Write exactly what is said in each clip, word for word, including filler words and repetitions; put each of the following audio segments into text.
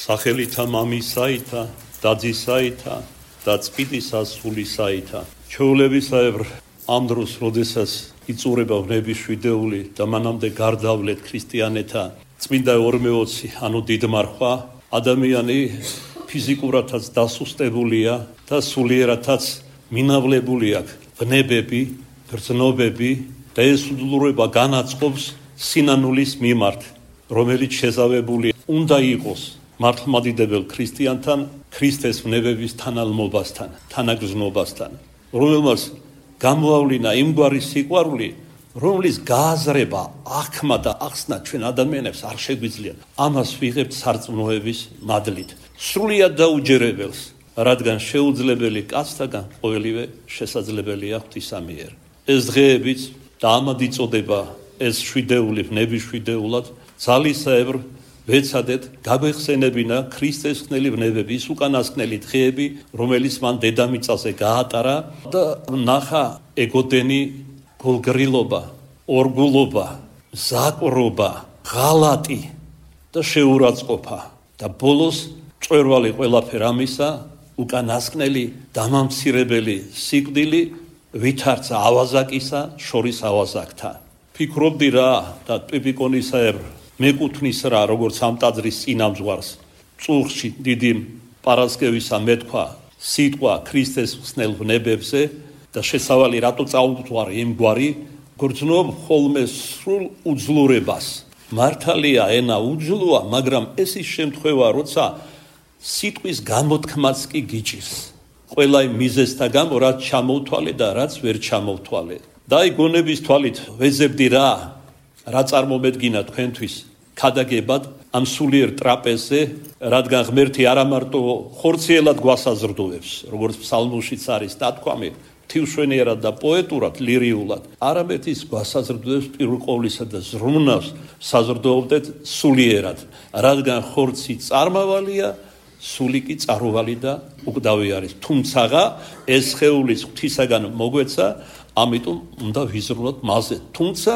სახელითა მამისაითა, დაძისაითა და წმინდისა სულისაითა. ჩვეულებისაებრ ამ დროს, როდესაც იწურება ვნების შვიდეული და მანამდე გარდავლეთ ქრისტიანეთა წმინდა ორმეოცი, ანუ დიდმარხვა, ადამიანი ფიზიკურადაც დასუსტებულია და სულიერადაც მინავლებული აქვს ვნებები, გრძნობები და ეს უდულურება განაწყობს სინანულის მიმართ, რომელიც შეზავებული უნდა იყოს მართლმადიდებელ ქრისტიანთან, ქრისტეს ვნებების თანალმობასთან, თანაგრძნობასთან, რომელმაც გამოავლინა იმგვარი სიყვარული, რომლის გააზრება, აღქმა და ახსნა ჩვენ ადამიანებს არ შეგვიძლია. ამას ვიღებთ სარწმუნოების მადლით. სრულიად დაუჯერებელს, რადგან შეუძლებელი კაცთაგან ყოველივე შესაძლებელია ღვთისა მიერ. ეს დღეებიც და ამად იწოდება ეს შვიდეული ვნების შვიდეულად, ძალისაებრ ვეცადეთ გაგვეხსენებინა ქრისტეს ხსნელი ვნებები, ის უკანასკნელი დღეები, რომელიც მან დედამიწაზე გაატარა და ნახა ეგოდენი გულგრილობა, ორგულობა, ზაკვრობა, ღალატი და შეურაცხყოფა და ბოლოს მწვერვალი ყველაფერ ამისა, უკანასკნელი დამამცირებელი სიკვდილი ვითარცა ავაზაკისა შორის ავაზაკთა. ფიქრობდი რა და ტვიპიკონისაებრ მეკუთვნის რა, როგორც ამ ტაძრის წინამძღვარს, წუხში დიდი პარასკევისა მეთქვა სიტყვა ქრისტეს ხსნელ ვნებებზე და შესავალი რატო წაუვთვალე იმგვარი, გრძნობ ხოლმე სრულ უძლურებას. მართალია ენა უძლოა, მაგრამ ეს ის შემთხვევა, როცა სიტყვის გამოთქმაც კი გიჭირს. ყველა იმ მიზეზთა გამო, რაც ჩამოვთვალე და რაც ვერ ჩამოვთვალე. და აი გონების თვალით ვეძებდი რა, რა წარმომედგინა თქვენთვის ქადაგებად ამ სულიერ ტრაპეზზე, რადგან ღმერთი არა მარტო ხორციელად გვასაზრდოებს, როგორც ფსალმუშიც არის დათქვამი, ღვთივმშვენიერად და პოეტურად, ლირიულად, არამედ ის გვასაზრდოებს პირველ ყოვლისა და ზრუნავს საზრდოობდეთ სულიერად, რადგან ხორცი წარმავალია, სული კი წარუვალი და უკვდავი არის. თუმცაღა ეს სხეულის ღვთისაგან მოგვეცა, ამიტომ უნდა ვიზრუნოთ მასზე. თუმცა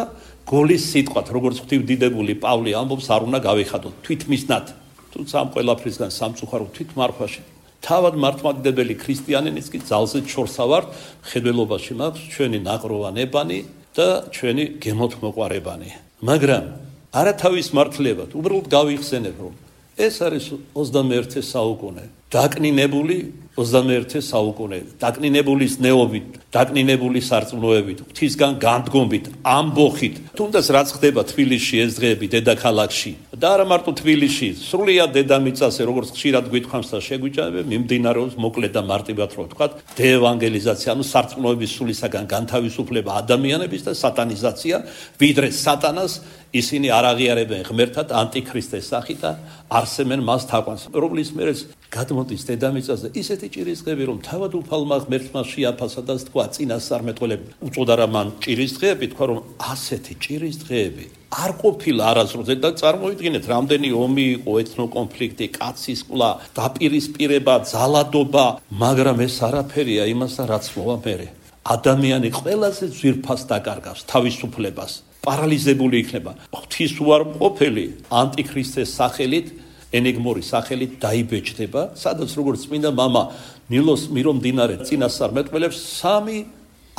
გოლის სიტყვათ, როგორც ღვთივდიდებული პავლე ამბობს, არ უნდა გავიხადოთ თვითმისნად. თუმცა ამ ყველაფრისგან სამწუხაროდ თვითმარხვაში თავად მართლმადიდებელი ქრისტიანიც კი ძალზედ შორსა ვართ, ხედველობაში მაქვს ჩვენი ნაღროვანებანი და ჩვენი გემოთმოყვარებანი. მაგრამ არა თავის მართლებად, უბრალოდ გავიხსენებ, რომ ეს არის ოცდამეერთე საუკუნე, დაკნინებული ოცდამეერთე საუკუნე, დაკნინებულის ნეობით, დაკნინებული სარწმუნოებით, ღვთისგან განდგომით, ამბოხით, თუნდაც რაც ხდება თბილისში ეს დღეები დედაქალაქში და არა მარტო თბილისში, სრულიად დედამიწაზე, როგორც ხშირად გვითხოვს და შეგვიჭამება, მიმდინარეობს მოკლედ და მარტივად რო ვთქვათ, დეევანგელიზაცია, ანუ სარწმუნოების სულისაგან განთავისუფლება ადამიანების და სატანიზაცია, ვიდრე სატანას ისინი არ აღიარებენ ღმერთად ანტიქრისტეს სახით და არსებენ მას თაყვანს, რომლის მერეც გადმოდის დედამიწაზე ისეთი ჭირისდღეები, რომ თავად უფალმა ღმერთმა შეაფასა და თქვა წინასწარმეტყველები უწოდა რა მან ჭირისდღეები, თქვა რომ ასეთი ჭირისდღეები არ ყოფილა არასდროს და წარმოიდგინეთ, რამდენი ომი იყო, ეთნოკონფლიქტი, კაცის ყლა, დაპირისპირება, ძალადობა, მაგრამ ეს არაფერია იმასთან, რაც მოვა მერე. ადამიანი ყველაზე ძვირფას დაკარგავს თავისუფლებას, პარალიზებული იქნება. ღვთისუარყოფელი ანტიქრისტეს სახელით, ენიგმური სახელით დაიბეჭდება, სადაც როგორც წმინდა მამა ნილოს მირომდინარე წინასწარმეტყველებს, სამი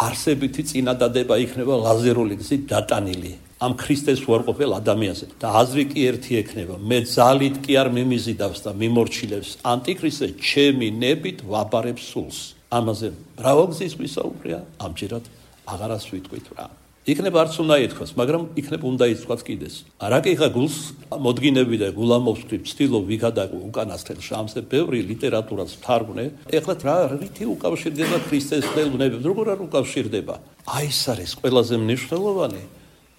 არსებითი წინადადება იქნება ლაზერული გზით დატანილი ამ ქრისტეს უარყოფელ ადამიანზე. და აზრი კი ერთი ექნება, მე ძალით კი არ მიმიზიდავს და მიმორჩილებს ანტიქრისტე, ჩემი ნებით ვაბარებ სულს. ამაზე მრავალგზის ვისაუბრია, ამჯერად აღარას ვიტყვით რა. იქნებ არც უნდა ითქვას, მაგრამ იქნებ უნდა ითქვას კიდეს. რაკიხა გულს მოდგინები და გულამოსვი ვცდილობ ვიგადაგო უკანასკნელ შამსზე ბევრი ლიტერატურას ვთარგმნე. ეხლა რა რითი უკავშირდება ქრისტეს ხსნელნებებს, როგორ არ უკავშირდება? აი ეს არის ყველაზე მნიშვნელოვანი.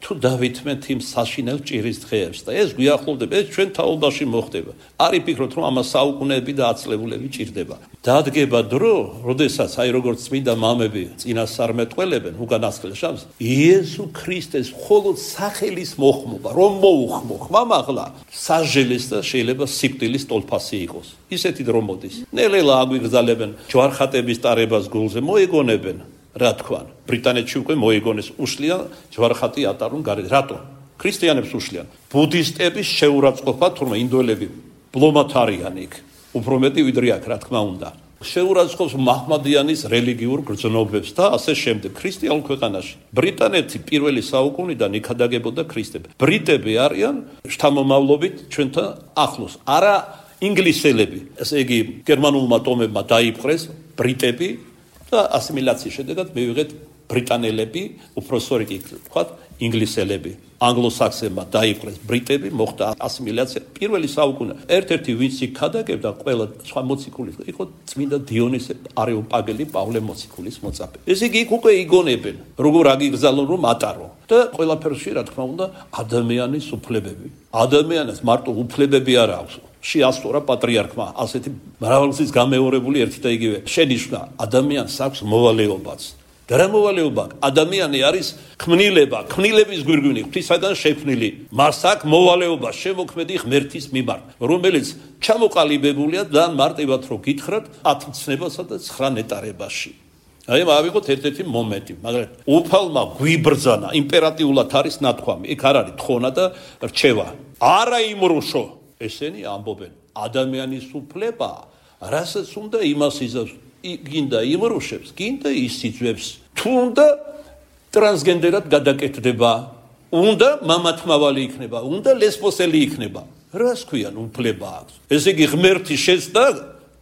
თუ დავითმეთ იმ საშინელ ჭირისდღეებს და ეს გვიახლოვდება, ეს ჩვენ თაობაში მოხდება. არ იფიქროთ, რომ ამას საუკუნეები და ათწლეულები ჭირდება. დადგება დრო, როდესაც აი როგორც წმინდა მამები წინასწარმეტყველებენ უკანასკნელ შამსს, იესო ქრისტეს მხოლოდ სახელის მოხმობა, რომ მოუხმო ხმამაღლა, სასჯელის და შეიძლება სიკვდილის ტოლფასი იყოს. ისეთი დრო მოდის. ნელ-ნელა აგვიგზავნებენ ჯვარხატების ტარებას გულზე, მოეგონებენ. რა თქვან, ბრიტანეთში უკვე მოიგონეს, უშლიან ჯვარხატი ატარონ გარეთ. რატო? ქრისტიანებს უშლიან. ბუდისტების შეურაცხყოფა, თურმე ინდოელები ბლომად არიან იქ. უფრო მეტი ვიდრე აქ, რა თქმა უნდა. შეურაცხყოფს მაჰმადიანის რელიგიურ გრძნობებს და ასე შემდეგ. ქრისტიანულ ქვეყანაში ბრიტანეთი პირველი საუკუნიდან იქადაგებოდა ქრისტები. ბრიტები არიან შთამომავლობით ჩვენთან ახლოს. არა ინგლისელები. ესე იგი გერმანულმა ტომებმა დაიპყრეს ბრიტები და ასიმილაციის შედეგად მივიღეთ ბრიტანელები, უფრო სწორი კი ვთქვათ, ინგლისელები. ანგლოსაქსებმა დაიპყრეს ბრიტები, მოხდა ასიმილაცია. პირველი საუკუნე ერთ-ერთი ვინც იქადაგებდა ყველა სხვა მოციქულის იყო წმინდა დიონისე არეოპაგელი პავლე მოციქულის მოწაფე. ესე იგი იქ უკვე იგონებენ, როგორ აგიგზავნონ რომ ატარო და ყველაფერში რა თქმა უნდა ადამიანის უფლებები. ადამიანს მარტო უფლებები არ აქვს. შეასწორა პატრიარქმა ასეთი მრავალგზის გამეორებული ერთი და იგივე შენიშვნა ადამიანს აქვს მოვალეობაც. და რა მოვალეობა? ადამიანი არის ქმნილება, ქმნილების გვირგვინი, ღვთისაგან შექმნილი. მას აქვს მოვალეობა შემოქმედი ღმერთის მიმართ, რომელიც ჩამოყალიბებულია და მარტივად რო გითხრათ ათ ცნებასა და ცხრა ნეტარებაში. აი მავიღოთ ერთ-ერთი მომენტი, მაგრამ უფალმა გვიბრძანა, იმპერატიულად არის ნათქვამი, იქ არ არის თხონა და რჩევა. არა იმრუშო, ესენი ამბობენ, ადამიანის უფლება, რასაც უნდა იმას იზავს, გინდა იმრუშებს, გინდა ისიძვებს, თუნდა ტრანსგენდერად გადაკეთდება, უნდა მამათმავალი იქნება, უნდა ლესბოსელი იქნება. რას ქვიან უფლება აქვს? ესე იგი ღმერთი შეცდა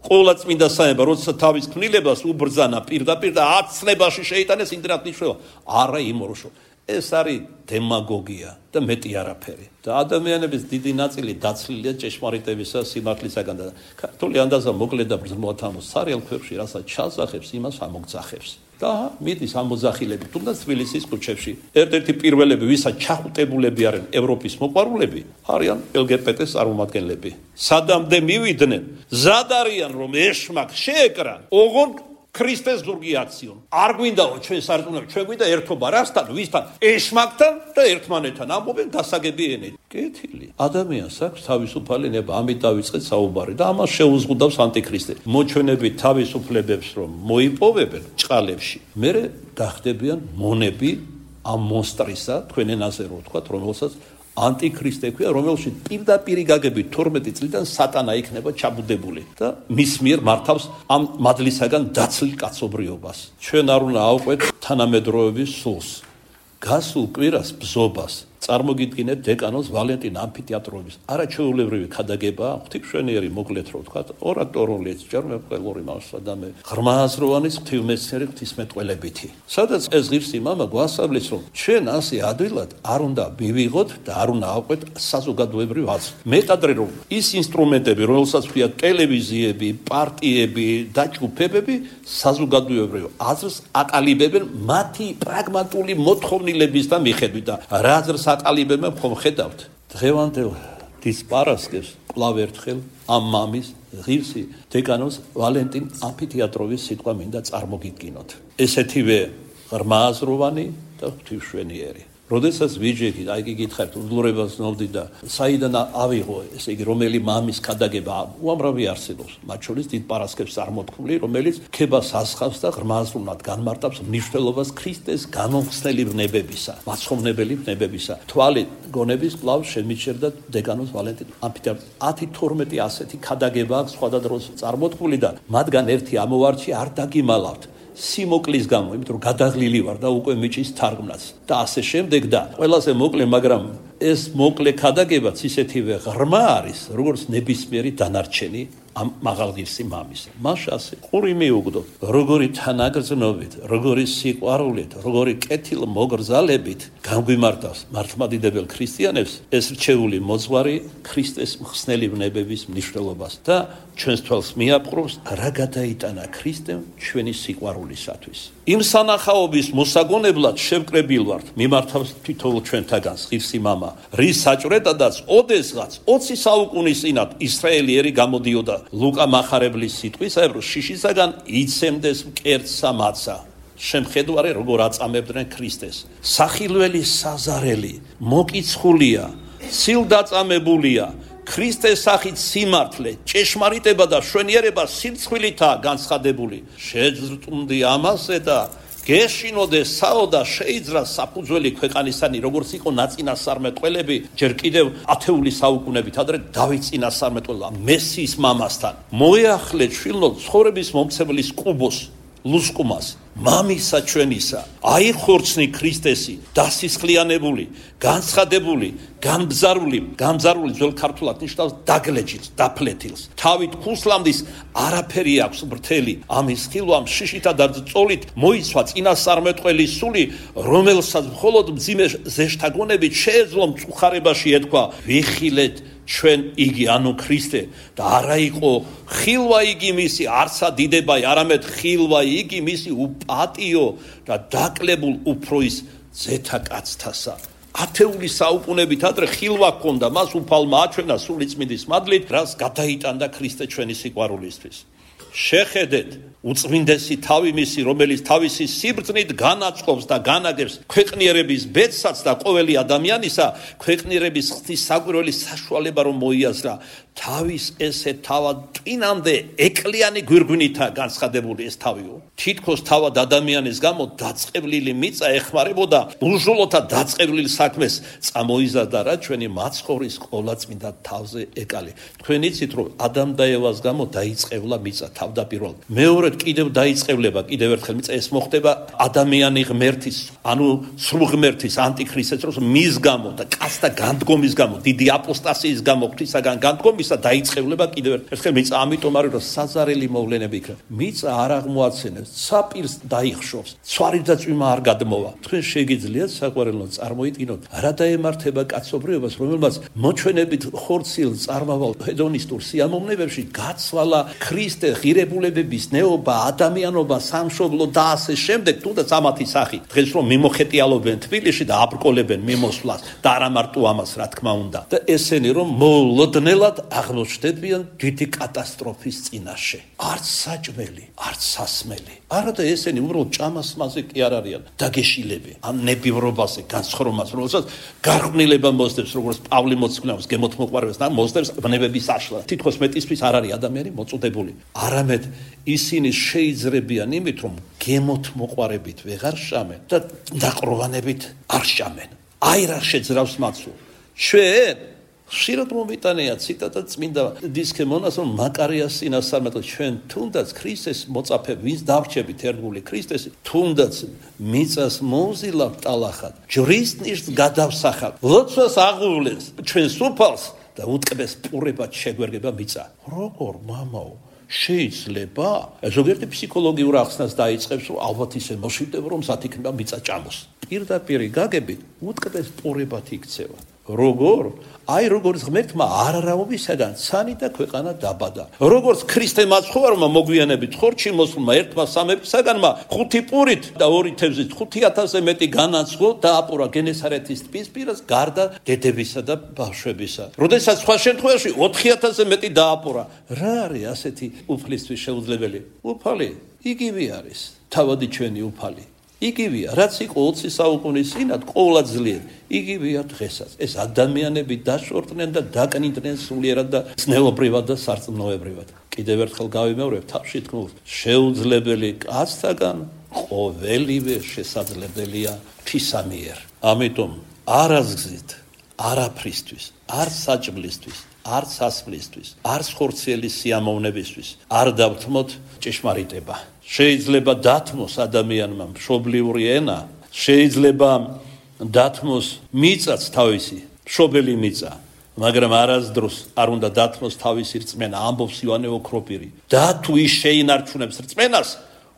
ყოლა წმინდა საება, როცა თავის ქმნილებას უბრძანა პირდაპირ და აცნებაში შეიტანეს იმდრად ნიშნულობა. არა იმრუშო. ეს არის დემაგოგია და მეტი არაფერი. და ადამიანების დიდი ნაწილი დაცლილია ჭეშმარიტებისა სიმართლისაგან და ქართული ანდაზა მოკლედ და ბრძნულად ამოს სარიელ ქვებში, რასაც ჩასახებს, იმას ამოგძახებს. და მიდის ამოძახილები, თუნდაც თბილისის ქუჩებში. ერთ-ერთი პირველები, ვისაც ჩახუტებულები არიან ევროპის მოყვარულები, არიან ელ გი ბე ტე-ს წარმომადგენლები. სადამდე მივიდნენ, ზად არიან რომ ეშმაკ შეეკრან, ოღონდ ქრისტეს ზურგი აქციონ. არ გვინდაო ჩვენ სარწმუნოები, ჩვენ გვინდა ერთობა, რასთან, ვისთან? ეშმაკთან და ერთმანეთთან. ამბობენ გასაგები ენით. კეთილი. ადამიანს აქვს თავისუფალი ნება, ამით დავიწყეთ საუბარი და ამას შეუზღუდავს ანტიქრისტე. მოჩვენებით თავისუფლებებს რომ მოიპოვებენ ჭყალებში, მერე გახდებიან მონები ამ მონსტრისა, თქვენ ენაზე რო ვთქვათ, რომელსაც ანტიქრისტე ქვია, რომელშიც პირდაპირი გაგებით თორმეტი წლიდან სატანა იქნება ჩაბუდებული და მის მიერ მართავს ამ მადლისაგან დაცლილ კაცობრიობას. ჩვენ არ უნდა ავყვეთ თანამედროვეობის სულს. გასულ კვირას ბზობას წარმოგიდგინეთ დეკანოს ვალენტინ ამფითეატრობის არაჩვეულებრივი ქადაგება, ღვთისმშენიერი მოკლედ რო ვთქვათ, ორატორული ჭერმეყოლური მასადამე ღრმააზროვანის ღვთისმეცნიერი ღვთისმეტყველებითი. სადაც ეს ღირსი მამა გვასწავლის, რომ ჩვენ ასე ადვილად არ უნდა მივიღოთ და არ უნდა ავყვეთ საზოგადოებრივ აზრს. მეტადრე რომ ის ინსტრუმენტები, რომელსაც ქვია ტელევიზიები, პარტიები და ჯგუფებები, საზოგადოებრივ აზრს აკალიბებენ მათი პრაგმატული მოთხოვნილების და მიხედვით და რა აზრს აკალიბებენ ხომ ხედავთ დღევანდელ დის პარასკევს კვლავ ერთხელ ამ მამის ღირსი დეკანოს ვალენტინ ამფითეატროვის სიტყვა მინდა წარმოგიდგინოთ. ესეთივე ღრმააზროვანი და ღვთისმშენიერი. როდესაც ვიჯექით, აი კი გითხარით, უდლურებას ნოვდი და საიდან ავიღო, ესე იგი, რომელი მამის ქადაგება უამრავი არსებობს, მათ შორის დიდ პარასკევს წარმოთქმული, რომელიც ქებას ასხავს და ღრმააზროვნად განმარტავს მნიშვნელობას ქრისტეს განმხსნელი ვნებებისა, მაცხოვრებელი ვნებებისა. თვალი გონების კვლავ შემიჩერდა დეკანოს ვალენტინ ამფითეატროს ათი თორმეტი ასეთი ქადაგება აქვს სხვადასხვა დროს წარმოთქმული და მათგან ერთი ამოვარჩი არ დაგიმალავთ. სიმოკლის გამო, იმიტომ რომ გადაღლილი ვარ და უკვე მიჭის თარგმნაც და ასე შემდეგ და ყველაზე მოკლე, მაგრამ ეს მოკლე ქადაგებაც ისეთივე ღრმა არის, როგორც ნებისმიერი დანარჩენი ამ მაღალღირსი მამის. მას ასე ყური მიუგდო, როგორი თანაგრძნობით, როგორი სიყვარულით, როგორი კეთილ მოგრძალებით განგვიმართავს მართლმადიდებელ ქრისტიანებს ეს რჩეული მოძღვარი ქრისტეს მხსნელი ვნებების მნიშვნელობას და ჩვენს თვალს მიაპყრობს რა გადაიტანა ქრისტემ ჩვენი სიყვარულისათვის. იმ სანახაობის მოსაგონებლად შევკრებილ ვართ, მიმართავს თითოეულ ჩვენთაგანს ღირსი მამა, რის საჭვრეტადაც ოდესღაც ოცი საუკუნის წინათ ისრაელიერი გამოდიოდა ლუკა მახარებლის სიტყვისაებ, რომ შიშისაგან იცემდეს მკერდსა მათსა. შემხედვარე როგორ აწამებდნენ ქრისტეს. სახილველი საზარელი, მოკიცხულია, სილდაწამებულია, ქრისტეს სახით სიმართლე, ჭეშმარიტება და შვენიერება სირცხვილითაა განცხადებული. შეძრწუნდი ამასე და გეშინოდე საო და შეიძრა საფუძველი ქვეყანისანი, როგორც იყო ნაწინასწარმეტყველები ჯერ კიდევ ათეული საუკუნებით ადრე დავით წინასწარმეტყველმა მესიის მამასთან. მოეახლე ჩვილო ცხოვრების მომცემლის კუბოს, ლუსკუმას, მამისა ჩვენისა, აიხორცნი ქრისტესი, დასისხლიანებული, განცხადებული, განბზარული, განბზარული ძველ ქართულად ნიშნავს დაგლეჯილს, დაფლეთილს. თავით ქუსლამდის არაფერი აქვს ბრთელი, ამის ხილვამ შიშითა და წოლით მოიცვა წინასწარმეტყველის სული, რომელსაც მხოლოდ მძიმე ზეშთაგონებით შეეძლო მწუხარებაში ეთქვა, ვიხილეთ ჩვენ იგი, ანუ ქრისტე და არა იყო ხილვა იგი მისი არცა დიდებაი, არამედ ხილვა იგი მისი უპატიო და დაკლებულ უფროის ზეთაკაცთასა. ათეული საუკუნებით ადრე ხილვა ჰქონდა მას, უფალმა აჩვენა სულიწმინდის მადლით, რაც გადაიტანდა ქრისტე ჩვენი სიყვარულისთვის. შეხედეთ უწმინდესი თავი მისი, რომელიც თავისი სიბრძნით განაწყობს და განაგებს ქვეყნიერების ბედსაც და ყოველი ადამიანისა ქვეყნიერების ღვთის საკვირველი საშუალება რომ მოიაზრა. თავის ესე თავად ტვინამდე ეკლიანი გვირგვინითა განცხადებული ეს თავიო. თითქოს თავად ადამიანის გამო დაწყევლილი მიწა ეხმარებოდა ურჟულოთა დაწყევლილ საქმეს, წამოიზარდა რა ჩვენი მაცხოვრის ყოლაწმინდა თავზე ეკალი. თქვენ იცით რომ ადამ და ევას გამო დაიწყევლა მიწა თავდაპირველად. მეორე კიდევ დაიწყევლება, კიდევ ერთხელ მიწა ეს მოხდება ადამიანი ღმერთის, ანუ სრულ ღმერთის ანტიქრისტეს დროს მის გამო და კაცთა განდგომის გამო, დიდი აპოსტასიის გამო, ღვთისაგან განდგომის და დაიწყევლება კიდევ ერთხელ მიწა. ამიტომ არის რომ საზარელი მოვლენები იქნება. მიწა არ აღმოაცენებს, საპირს დაიხშობს, ცვარი და წვიმა არ გადმოვა. თქვენ შეგიძლიათ საყვარელო წარმოიდგინოთ, რა დაემართება კაცობრიობას, რომელმაც მოჩვენებით ხორციელ წარმავალ ჰედონისტურ სიამოვნებებში გაცვალა ქრისტე, ღირებულებების ნეობა, ადამიანობა, სამშობლო და ასე შემდეგ, თუნდაც ამათი სახი. დღეს რომ მიმოხეტიალობენ თბილისში და აბრკოლებენ მიმოსვლას და არა მარტო ამას, რა თქმა უნდა. და ესენი რომ მოულოდნელად აღმოჩნდებიან დიდი კატასტროფის წინაშე. არც საჭმელი, არც სასმელი. არა და ესენი უბრალოდ ჭამასმაზე კი არ არიან დაგეშილები. ამ ნებივრობაზე, განცხრომას, რომელსაც გარყვნილება მოსდევს, როგორც პავლე მოციქულს გემოთმოყვარებას და მოსდევს ბნებების აშლა. თითქოს მეტისთვის არ არის ადამიანი მოწოდებული. არამედ ისინი შეიძრებიან იმით, რომ გემოთმოყვარებით ვეღარ შამენ და დაყროვანებით არ შამენ. აი რა შეძრავს მათსულ. ჩვენ ხშირად მომიტანია ციტატა წმინდა დისქემონას, რომ მაკარიას წინასწარმეტყველს ჩვენ თუნდაც ქრისტეს მოწაფე ვინც დავრჩებით ერთგული ქრისტესი, თუნდაც მიწას მოუზილავ ტალახად, ჯვრის ნიშს გადავსახავ, ლოცვას აღუვლეს ჩვენს უფალს და უტკბეს პურებად შეგვერგება მიწა. როგორ მამაო შეიძლება ზოგიერთი ფსიქოლოგიურ ახსნას დაიწყებს, რომ ალბათ ისე მოშივდება, რომ სათიქნება მიწა ჭამოს. პირდაპირ გაგებით უტკბეს პურებად იქცევა. როგორ? აი როგორც ღმერთმა არარავისაგან ცანი და ქვეყანა დაბადა. როგორც ქრისტე მაცხოვარმა მოგვიანებით ხორჩი მოსულმა ერთმა სამეფისაგანმა ხუთი პურით და ორი თევზით ხუთი ათასზე მეტი განაცხო და აპურა გენესარეთის ტბის პირას გარდა დედებისა და ბავშვებისა. როდესაც სხვა შემთხვევაში ოთხი ათასზე მეტი დააპურა. რა არის ასეთი უფლისთვის შეუძლებელი? უფალი იგივე არის. თავადი ჩვენი უფალი. იგივეა, რაც იყო ოცი საუკუნის წინათ ყოვლადწლიერ, იგივეა დღესაც. ეს ადამიანები დაშორტნენ და დაკნინდნენ სულიერად და ძნელობრივად და სარწმუნოებრივად. კიდევ ერთხელ გავიმეორებ თავში თქმულს, შეუძლებელი კაცთაგან ყოველივე შესაძლებელია ღვთისა მიერ. ამიტომ არაზგზით, არაფრისთვის, არ საჭმლისთვის, არ სასმლისთვის, არ ხორციელი სიამოვნებისთვის არ დავთმოთ ჭეშმარიტება. შეიძლება დათმოს ადამიანმა მშობლიური ენა, შეიძლება დათმოს მიწაც თავისი, მშობელი მიწა, მაგრამ არასდროს არ უნდა დათმოს თავისი რწმენა, ამბობს იოანე ოქროპირი. და თუ ის შეინარჩუნებს რწმენას,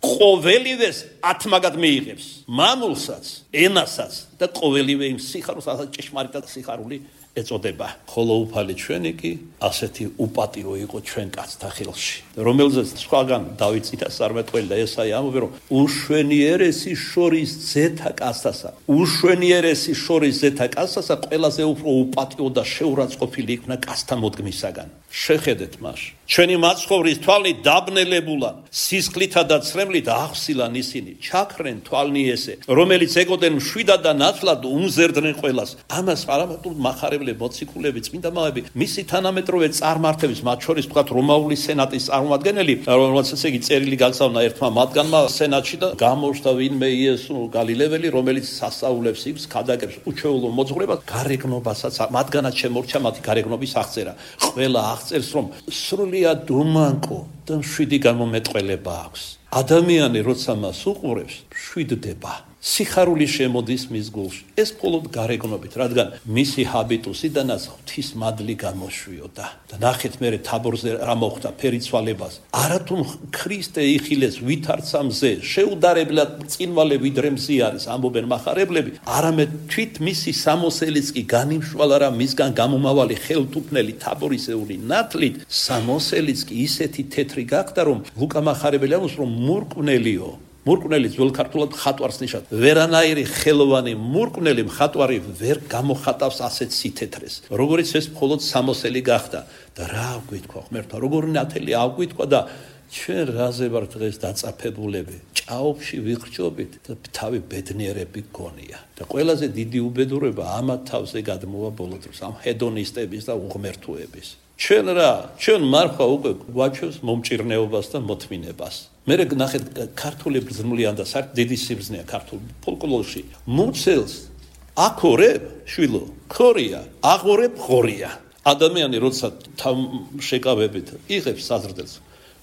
ყოველივეს ათმაგად მიიღებს, მამულსაც, ენასაც და ყოველივე იმ სიხარულს, რასაც ჭეშმარიტად სიხარული ეწოდება. ხოლო უფალი ჩვენი კი ასეთი უპატიო იყო ჩვენ კაცთა ხელში, რომელზეც სხვაგან დავით წინასწარმეტყველი და ესაია ამბობენ, რომ უშვენიერესი შორის ზეთა კაცთასა, უშვენიერესი შორის ზეთა კაცთასა ყველაზე უფრო უპატიო და შეურაცხყოფილი იქნა კაცთა მოდგმისაგან. შეხედეთ მას, ჩვენი მაცხოვრის თვალნი დაბნელებულან, სისხლითა და ცრემლით აღსილან ისინი, ჩაქრენ თვალნი ესე, რომელიც ეკოდნენ მშვიდად და ნათლად უმზერდნენ ყველას. ამას პარამატულ მახარებლე მოციქულები, წმინდა მამები, მისი თანამედროვე წარმართების, მათ შორის თქვათ რომაული სენატის წარმომადგენელი, რომელსაც ესე იგი წერილი გაგზავნა ერთმა მათგანმა სენატში და გამოჩნდა ვინმე იესო გალილეველი, რომელიც სასწაულებს იგს, ქადაგებს უჩვეულო მოძღვრებას, გარეგნობასაც მათგანაც შემორჩა მათი გარეგნობის აღწერა. ყველა აღწერს, რომ სრულიად უმანკო და მშვიდი გამომეტყველება აქვს. ადამიანი როცა მას უყურებს, მშვიდდება. სიხარული შემოდის მის გულში. ეს მხოლოდ გარეგნობით, რადგან მისი ჰაბიტუსიდანაც ღვთის მადლი გამოშვიოდა. და ნახეთ მერე თაბორზე რა მოხდა ფერიცვალებას. არათუ ქრისტე იხილეს ვითარცა მზე, შეუდარებლად წინვალე ვიდრე მზი არის, ამბობენ მახარებლები, არამედ თვით მისი სამოსელიც კი განიმშვალა რა მისგან გამომავალი ხელთუქმნელი თაბორისეული ნათლით, სამოსელიც კი ისეთი თეთრი გახდა, რომ ლუკა მახარებელი ამბობს, რომ მურკვნელიო. მურკვნელი ძველ ქართულად ხატვარს ნიშნავს. ვერანაირი ხელოვანი მურკვნელი მხატვარი ვერ გამოხატავს ასეთ სითეთრეს. როგორიც ეს მხოლოდ სამოსელი გახდა. და რა აგვიტყვა ღმერთმა, როგორ ნათელი აგვიტყვა და ჩვენ რაზე ვარ დღეს დაწაფებულები. ჭაობში ვიხრჯობით და თავი ბედნიერები გონია. და ყველაზე დიდი უბედურება ამათ თავზე გადმოვა ბოლო დროს, ამ ჰედონისტების და უღმერთოების. ჩვენ რა, ჩვენ მარხვა უკვე გვაჩვევს მომჭირნეობას და მოთმინებას. მე ნახეთ ქართული ბრძნული ანდა საერთოდ დიდი სიბრძნეა ქართულ ფოლკლორში. მუცელს აკორებ შვილო, ხორია, აღორებ ხორია. ადამიანი როცა თავ შეკავებით იღებს საზრდელს,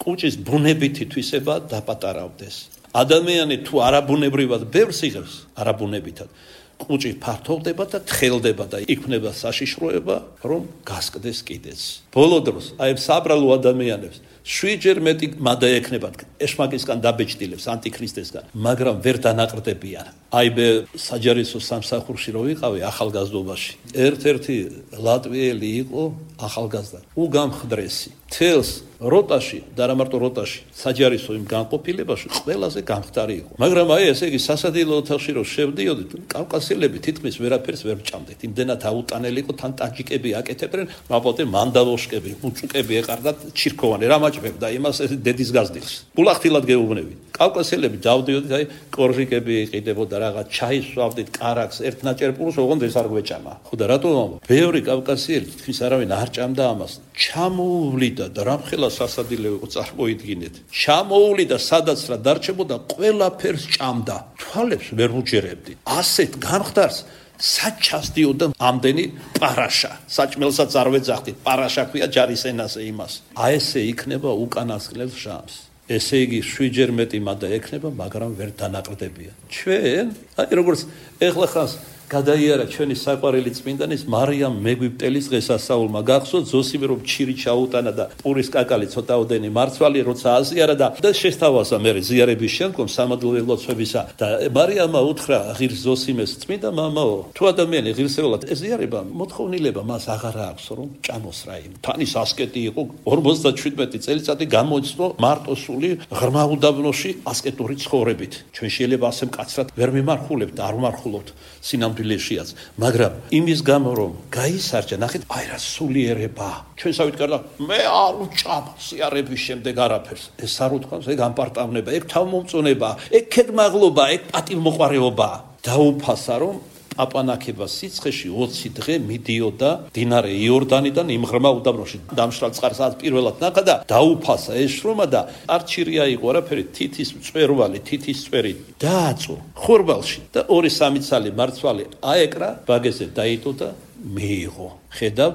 კუჭის ბუნებითი თვისება დაპატარავდეს. ადამიანი თუ არაბუნებრივად ბევრს იღებს, არაბუნებითად კუჭი ფართოვდება და თხელდება და იქნება საშიშროება, რომ გასკდეს კიდეც. ბოლო დროს აი საბრალო ადამიანებს შვიდჯერ მეტი მადა ექნებათ ეშმაკისგან დაბეჭდილებს ანტიქრისტესგან, მაგრამ ვერ დანაყრდებიან. აი მე საჯარისო სამსახურში რო ვიყავი ახალგაზრდობაში, ერთ-ერთი ლატვიელი იყო ახალგაზრდა, უგამხდრესი. თელს როტაში და რა მარტო როტაში, საჯარისო იმ განყოფილებაში ყველაზე გამხდარი იყო. მაგრამ აი ესე იგი სასადილო ოთახში რო შევდიოდით, კავკასიელები თითქმის ვერაფერს ვერ ჭამდეთ. იმდენად აუტანელი იყო, თან ტაჯიკები აკეთებდნენ, მაპოტე მანდალოშკები, უჭუკები ეყარდათ ჩირქოვანი, რა მაჭმებდა იმას დედის გაზდილს. ბულახთილად გეუბნები. კავკასიელები დავდიოდით, აი კორჟიკები იყიდებოდა რაღაც, ჩაის ვსვავდით, კარაქს, ერთ ნაჭერპულს, ოღონდ ეს არ გვეჭამა. ხო და რატომ ამბობ? ბევრი კავკასიელი თითქმის არავინ არ ჭამდა ამას. ჩამოუვლიდა და რამხელა სასადილო იყო წარმოიდგინეთ. ჩამოუვლიდა სადაც რა დარჩებოდა, ყველაფერს ჭამდა. თვალებს ვერ უჯერებდი. ასეთ გამხდარს საჩასდიოდა ამდენი პარაშა. საჭმელსაც არ ვეძახდით, პარაშა ქვია ჯარის ენაზე იმას. აი ესე იქნება უკანასკნელ ჟამს. ესე იგი შვიდჯერ მეტი მადა ექნება, მაგრამ ვერ დანაყრდებიან. ჩვენ, აი როგორც ეხლა ხანს გადაიარა ჩვენი საყვარელი წმინდანის მარიამ მეგვიპტელის დღესასწაულმა. გახსოვთ ზოსიმე რომ ჩირი ჩაუტანა და პურის კაკალი ცოტაოდენი მარცვალი როცა აზიარა და და შესთავაზა მე ზიარების შემდგომ სამადლოვე ლოცვებისა და მარიამმა უთხრა ღირს ზოსიმეს, წმინდა მამაო, თუ ადამიანი ღირსეულად ეზიარება, მოთხოვნილება მას აღარ აქვს რომ ჭამოს რა იმ. თანის ასკეტი იყო ორმოცდაშვიდმეტი წელიწადი გამოიცნო მარტოსული ღრმა უდაბნოში ასკეტური ცხოვრებით. ჩვენ შეიძლება ასე მკაცრად ვერ მიმარხულებთ და არ ვმარხულობთ სინამდვილეშიაც, მაგრამ იმის გამო რომ გაისარჯა, ნახეთ, აი რა სულიერება. ჩვენ სავით გარდა მე არ ვჭამ სიარების შემდეგ არაფერს. ეს არ უთქვამს, ეგ ამპარტავნება, ეგ თავმომწონება, ეგ ქედმაღლობა, ეგ პატივმოყვარეობა. დაუფასა რომ აპანაკება სიცხეში ოცი დღე მიდიოდა დინარე იორდანიდან იმ ღრმა უდაბნოში. დამშრალ წყარსაც პირველად ნახა და დაუფასა ეს შრომა და არჩირია იყო არაფერი, თითის მწვერვალი, თითის წვერი დააწო ხორბალში და ორი სამი ცალი მარცვალი აეკრა, ბაგეზე დაიდო და მიიღო. ხედავ,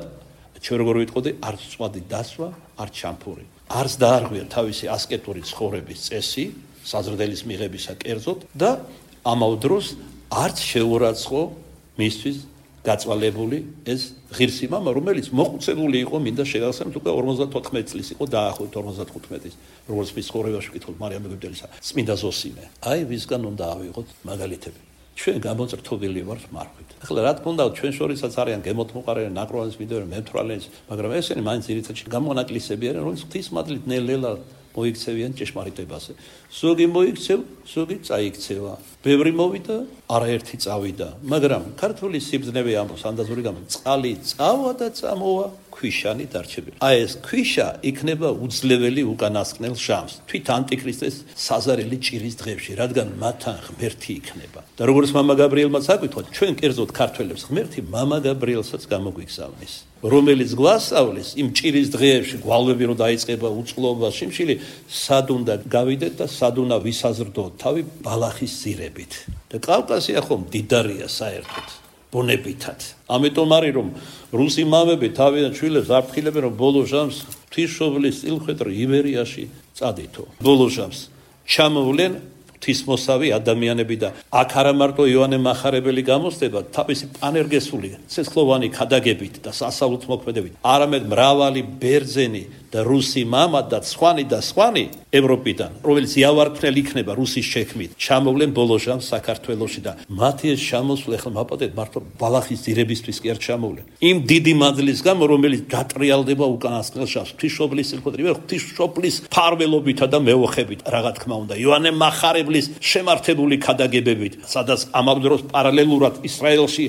ჩვენ როგორ ვიტყოდი, არც წვადი დასვა, არც ჩამფური. არც დაარღვია თავისი ასკეტური ცხოვრების წესი, საზრდელის მიღებისა კერძოდ და ამავ დროს არც შეურაცხო მისთვის გაწვალებული ეს ღირსი მამა, რომელიც მოხუცებული იყო, მინდა შეგახსენოთ, უკვე ორმოცდათოთხმეტი წლის იყო, დაახლოებით ორმოცდახუთმეტის, როგორც მის ცხოვრებაში ვკითხოთ მარიამ მეგვიპტელისა, წმინდა ზოსიმე. აი ვისგან უნდა ავიღოთ მაგალითები. ჩვენ გამოწრთობილი ვართ მარხვით. ახლა რა თქმა უნდა, ჩვენ შორისაც არიან გემოთმოყარენი, ნაკროვანის მიდევრი, მემთვრალენის, მაგრამ ესენი მაინც ძირითადად გამონაკლისები არიან, რომელიც ღვთის მადლით ნელ-ნელა მოიქცევიან ჭეშმარიტებაზე. ზოგი მოიქცევ, ზოგი წაიქცევა. ბევრი მოვიდა, არაერთი წავიდა, მაგრამ ქართული სიბრძნევე ამბობს ანდაზური გამო წყალი წავა და წამოვა, ქვიშანი დარჩებილა. აი ეს ქვიშა იქნება უძლეველი უკანასკნელ ჟამს. თვით ანტიქრისტეს საზარელი ჭირის დღეებში, რადგან მათთან ღმერთი იქნება. და როგორც მამა გაბრიელმაც აკითხოთ, ჩვენ კერძოდ ქართველებს ღმერთი მამა გაბრიელსაც გამოგვიგზავნის. რომელიც გვასწავლის იმ ჭირის დღეებში გვალვები რო დაიწყება უწყლობა შიმშილი სად უნდა გავიდეთ და სად უნდა ვისაზრდოთ თავი ბალახის ზირებით და კავკასია ხომ დიდარია საერთოდ ბუნებითად ამიტომ არის რომ რუსი მამები თავიდან შვილებს აფრთხილებენ რომ ბოლო ჟამს ღვთისმშობლის წილხვედრ იბერიაში წადითო ბოლო ჟამს ჩამოვლენ ღვთისმოსავი ადამიანები და აქ არა მარტო იოანე მახარებელი გამოსდება თავისი პანერგესული ცეცხლოვანი ქადაგებით და სასწაულით მოქმედებით არამედ მრავალი ბერძენი და რუსი მამა და სხვანი და სხვანი ევროპიდან რომელიც იავარქმნელ იქნება რუსის შექმნით ჩამოვლენ ბოლო ჟამს საქართველოში და მათი ეს ჩამოსვლა ახლა მაპატეთ მარტო ბალახის ძირებისთვის კი არ ჩამოვლენ იმ დიდი მადლის გამო რომელიც გატრიალდება უკანასკნელ ჟამს ღვთისმშობლის წილხვედრი ღვთისმშობლის ფარველობითა და მეოხებით რა თქმა უნდა იოანე მახარებლის შემართებული ქადაგებებით სადაც ამავე დროს პარალელურად ისრაელში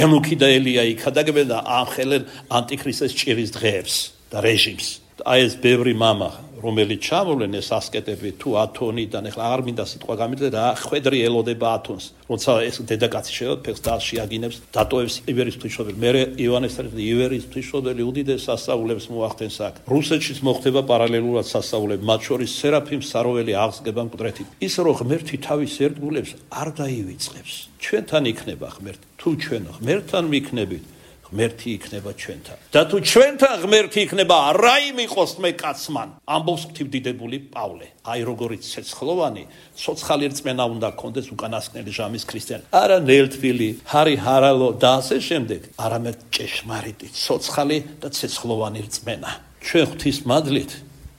ენუქი და ელია იქადაგებენ და ამხელენ ანტიქრისტეს ჭირის დღეებს და რეჟიმს აი ეს ბევრი მამა რომელიც ჩამოვლენ ეს ასკეტები თუ ათონიდან ეხლა აღარ მინდა სიტყვა გამიძე რა ხვედრი ელოდება ათონს როცა ეს დედაკაცი შევა ფეხს და შეაგინებს დატოვებს იბერის ღვთისმშობელი მე იოანეს იბერის ღვთისმშობელი უდიდეს სასწაულებს მოახდენს აქ რუსეთშიც მოხდება პარალელურად სასწაულები მათ შორის სერაფიმ საროველი აღსგება მკვდრეთით ის რომ ღმერთი თავის ერთგულებს არ დაივიწყებს ჩვენთან იქნება ღმერთი თუ ჩვენ ღმერთთან ვიქნებით ღმერთი იქნება ჩვენთან და თუ ჩვენთან ღმერთი იქნება რა იმ იყოს მე კაცმან ამბობს ღვთივდიდებული პავლე აი როგორიც ცეცხლოვანი ცოცხალი რწმენა უნდა გქონდეს უკანასკნელი ჟამის ქრისტიანი არა ნელთბილი ჰარი ჰარალო და ასე შემდეგ არამედ ჭეშმარიტი ცოცხალი და ცეცხლოვანი რწმენა ჩვენ ღვთის მადლით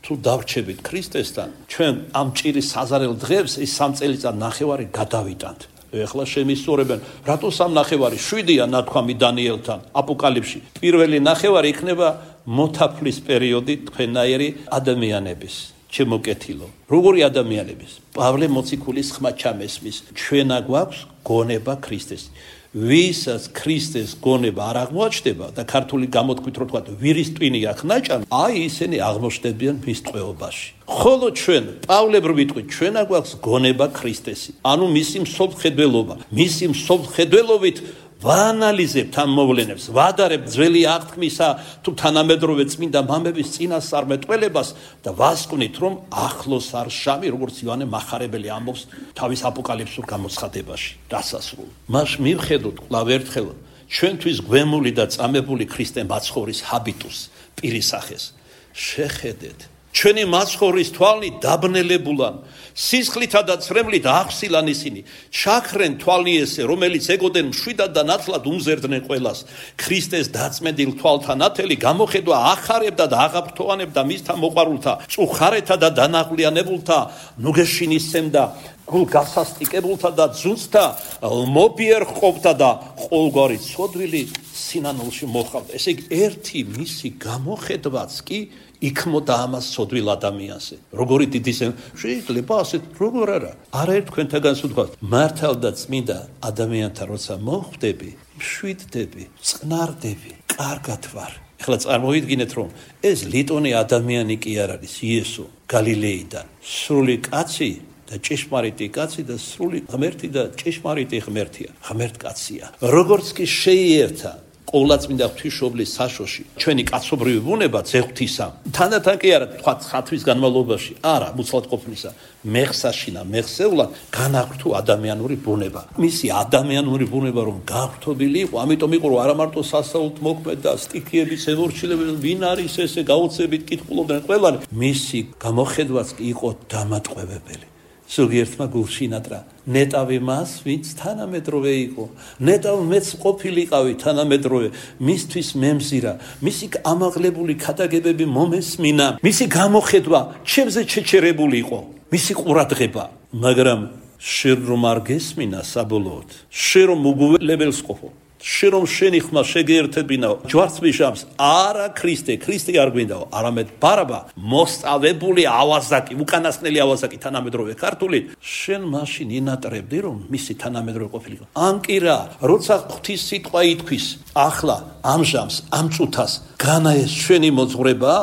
თუ დავრჩებით ქრისტესთან ჩვენ ამ ჭირის საზარელ დღეებს ის სამ წელიწად ნახევარი გადავიტანთ ეხლა შემისწორებენ რატო სამ ნახევარი შვიდია ნათქვამი დანიელთან აპოკალიფში პირველი ნახევარი იქნება მოთაფლის პერიოდი თქვენაირი ადამიანების ჩემო კეთილო როგორი ადამიანების პავლე მოციქულის ხმა ჩამესმის ჩვენა გვაქვს გონება ქრისტეს ვისაც ქრისტეს გონება არ აღმოაჩნდება და ქართული გამოთქვით რო თქვა ვირის ტვინი აქ ნაჭამ აი ისინი აღმოჩნდებიან მის ტყვეობაში ხოლო ჩვენ პავლებრ ვიტყვით ჩვენა გვაქვს გონება ქრისტესი ანუ მისი მსოფლმხედველობა მისი მსოფლმხედველობით ვაანალიზებთ ამ მოვლენებს ვადარებთ ძველი აღთქმისა თუ თანამედროვე წმინდა მამების წინასწარმეტყველებას და ვასკვნით რომ ახლოს არ ჟამი როგორც იოანე მახარებელი ამბობს თავის აპოკალიფსურ გამოცხადებაში დასასრულ მას მივხედოთ კვლავ ერთხელ ჩვენთვის გვემული და წამებული ქრისტე მაცხოვრის ჰაბიტუს პირისახეს შეხედეთ ჩვენი მაცხოვრის თვალნი დაბნელებულან სისხლითა და ცრემლით აღსილან ისინი ჩაქრენ თვალნი ესე რომელიც ეგოდენ მშვიდად და ნათლად უმზერდნენ ყველას ქრისტეს დაწმენდილ თვალთან ათელი გამოხედვა ახარებდა და აღაფრთოვანებდა მისთა მოყვარულთა წუხარეთა და დანაღლიანებულთა ნუგეშინისცემდა გულ გასასტიკებულთა და ძუძთა მობიერ ყოფდა და ყოველგვარი ცოდვილი სინანულში მოხავდა ესე იგი ერთი მისი გამოხედვაც კი იქმოდა ამას ცოდვილ ადამიანზე როგორი დიდი შეიძლება ასეთ როგორ არა არა თქვენთაგანს ვთქვათ მართალ და წმინდა ადამიანთან როცა მოხვდები მშვიდდები წყნარდები კარგად ვარ ეხლა წარმოვიდგინეთ რომ ეს ლიტონი ადამიანი კი არ არის იესო გალილეიდან სრული კაცი და ჭეშმარიტი კაცი და სრული ღმერთი და ჭეშმარიტი ღმერთია ღმერთკაცია როგორც კი შეიერთა ყოვლადწმინდა ღვთისმშობლის საშოში ჩვენი კაცობრიობი ბუნება ძეღვთისა თანდათან კი არა თქვა ხათვის განმავლობაში არა მუცლად ყოფნისა მეხსაშინა მეხსეულად განაგრთო ადამიანური ბუნება მისი ადამიანური ბუნება რომ გავრთობილი იყო ამიტომ იყო რომ არა მარტო სასწაულთ მოქმედდა სტიქიების ემორჩილებენ ვინ არის ესე გაოცებით კითხულობდნენ ყველანი მისი გამოხედვაც კი იყო დამატყვევებელი ზოგიერთმა გულშინატრა ნეტავი მას ვინც თანამედროვე იყო ნეტავ მეც ყოფილიყავი თანამედროვე მისთვის მემზირა მისი ამაღლებული ქადაგებები მომესმინა მისი გამოხედვა ჩემზე ჩეჩერებული იყო მისი ყურადღება მაგრამ შენ რომ არ გესმინა საბოლოოდ შენ რომ უგულებელს ყოფო შენ რომ შენი ხმა შეგერთებინაო ჯვარცმიშამს არა ქრისტე ქრისტე არ გვინდაო არამედ ბარაბა მოსწავებული ავაზაკი უკანასკნელი ავაზაკი თანამედროვე ქართული შენ მაშინ ინატრებდი რომ მისი თანამედროვე ყოფილიყო ანკირა როცა ღვთის სიტყვა ითქვის ახლა ამჟამს ამ წუთას განაეს ჩვენი მოძღვრება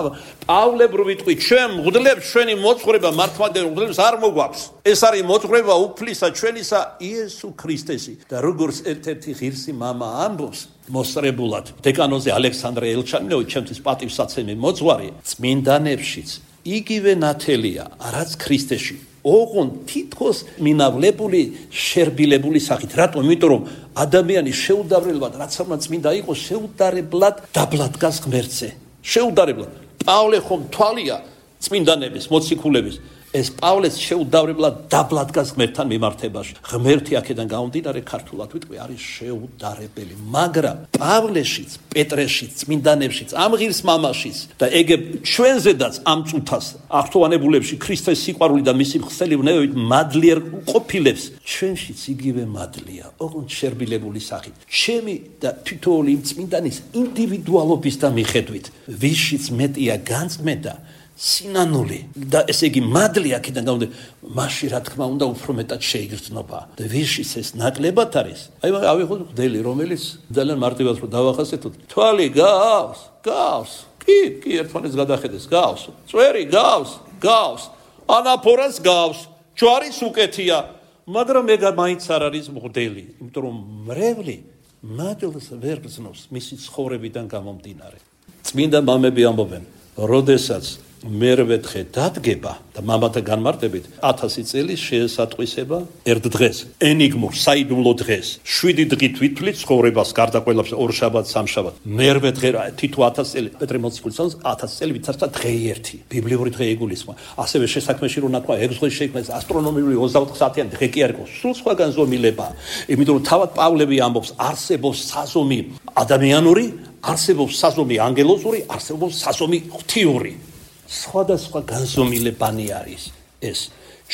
პავლე ვიტყვი ჩვენ მღვდლებს ჩვენი მოძღვრება მართლმადიდებლურ მღვდლებს არ მოგვაქვს ეს არის მოძღვრება უფლისა ჩვენისა იესო ქრისტესი და როგორც ერთ-ერთი ღირსი მამა ამბობს მოსწრებულად დეკანოზე ალექსანდრე ელჩანინოვი ჩემთვის პატივსაცემი მოძღვარი წმინდანებშიც იგივე ნათელია რაც ქრისტეში ოღონ თითქოს მინავლებული შერბილებული სახით რატომ იმიტომ რომ ადამიანი შეუდარებლად რაც არ წმინდა იყოს შეუდარებლად დაბლად გას ღმერთზე შეუდარებლად პავლე ხომ თვალია წმინდანების მოციქულების ეს პავლეს შეუდარებლად დაბლად გას ღმერთთან მიმართებაში ღმერთი აქედან გამომდინარე ქართულად ვიტყვი არის შეუდარებელი მაგრამ პავლეშიც პეტრეშიც წმინდანებშიც ამ ღირს მამაშიც და ეგ ჩვენზედაც ამ წუთას აღთოვანებულებში ქრისტეს სიყვარული და მისი ხსელი ვნევით მადლიერ ყოფილებს ჩვენშიც იგივე მადლია ოღონდ შერბილებული სახით ჩემი და თითოეული წმინდანის ინდივიდუალობის და მიხედვით ვისშიც მეტია განწმენდა სინანული და ესე იგი მადლი აქედან გამომდინარე მაშინ რა თქმა უნდა უფრო მეტად შეიგრძნობა და ვიშის ეს ნაკლებად არის აი ავიღოთ მღვდელი რომელიც ძალიან მარტივად რო დავახასიათოთ თვალი გავს გავს კი კი ერთმანეთს გადახედეს გავს წვერი გავს გავს ანაფორას გავს ჯვარის უკეთია მაგრამ ეგ მაინც არ არის მღვდელი იმიტომ რომ მრევლი მადლს ვერ გრძნობს მისი ცხოვრებიდან გამომდინარე წმინდა მამები ამბობენ როდესაც მერვეთხე დადგება და მამათა განმარტებით ათასი წელი შეესატყვისება ერთ დღეს ენიგმურ საიდუმლო დღეს შვიდი დღით ვითვლით ცხოვრებას გარდა ყველაფერს ორ შაბათს სამ შაბათს მერვე დღე თითო ათასი წელი პეტრე მოციქულის ათასი წელი ვითარცა დღე ერთი ბიბლიური დღე იგულისხმება ასევე შესაქმეში რო ნათქვა ეგ დღე შეიქმნეს ასტრონომიული ოცდაოთხ საათიანი დღე კი არ იყო სულ სხვა განზომილება იმიტომ რომ თავად პავლე ამბობს არსებობს საზომი ადამიანური არსებობს საზომი ანგელოზური არსებობს საზომი ღვთიური სხვადასხვა განზომილებანი არის ეს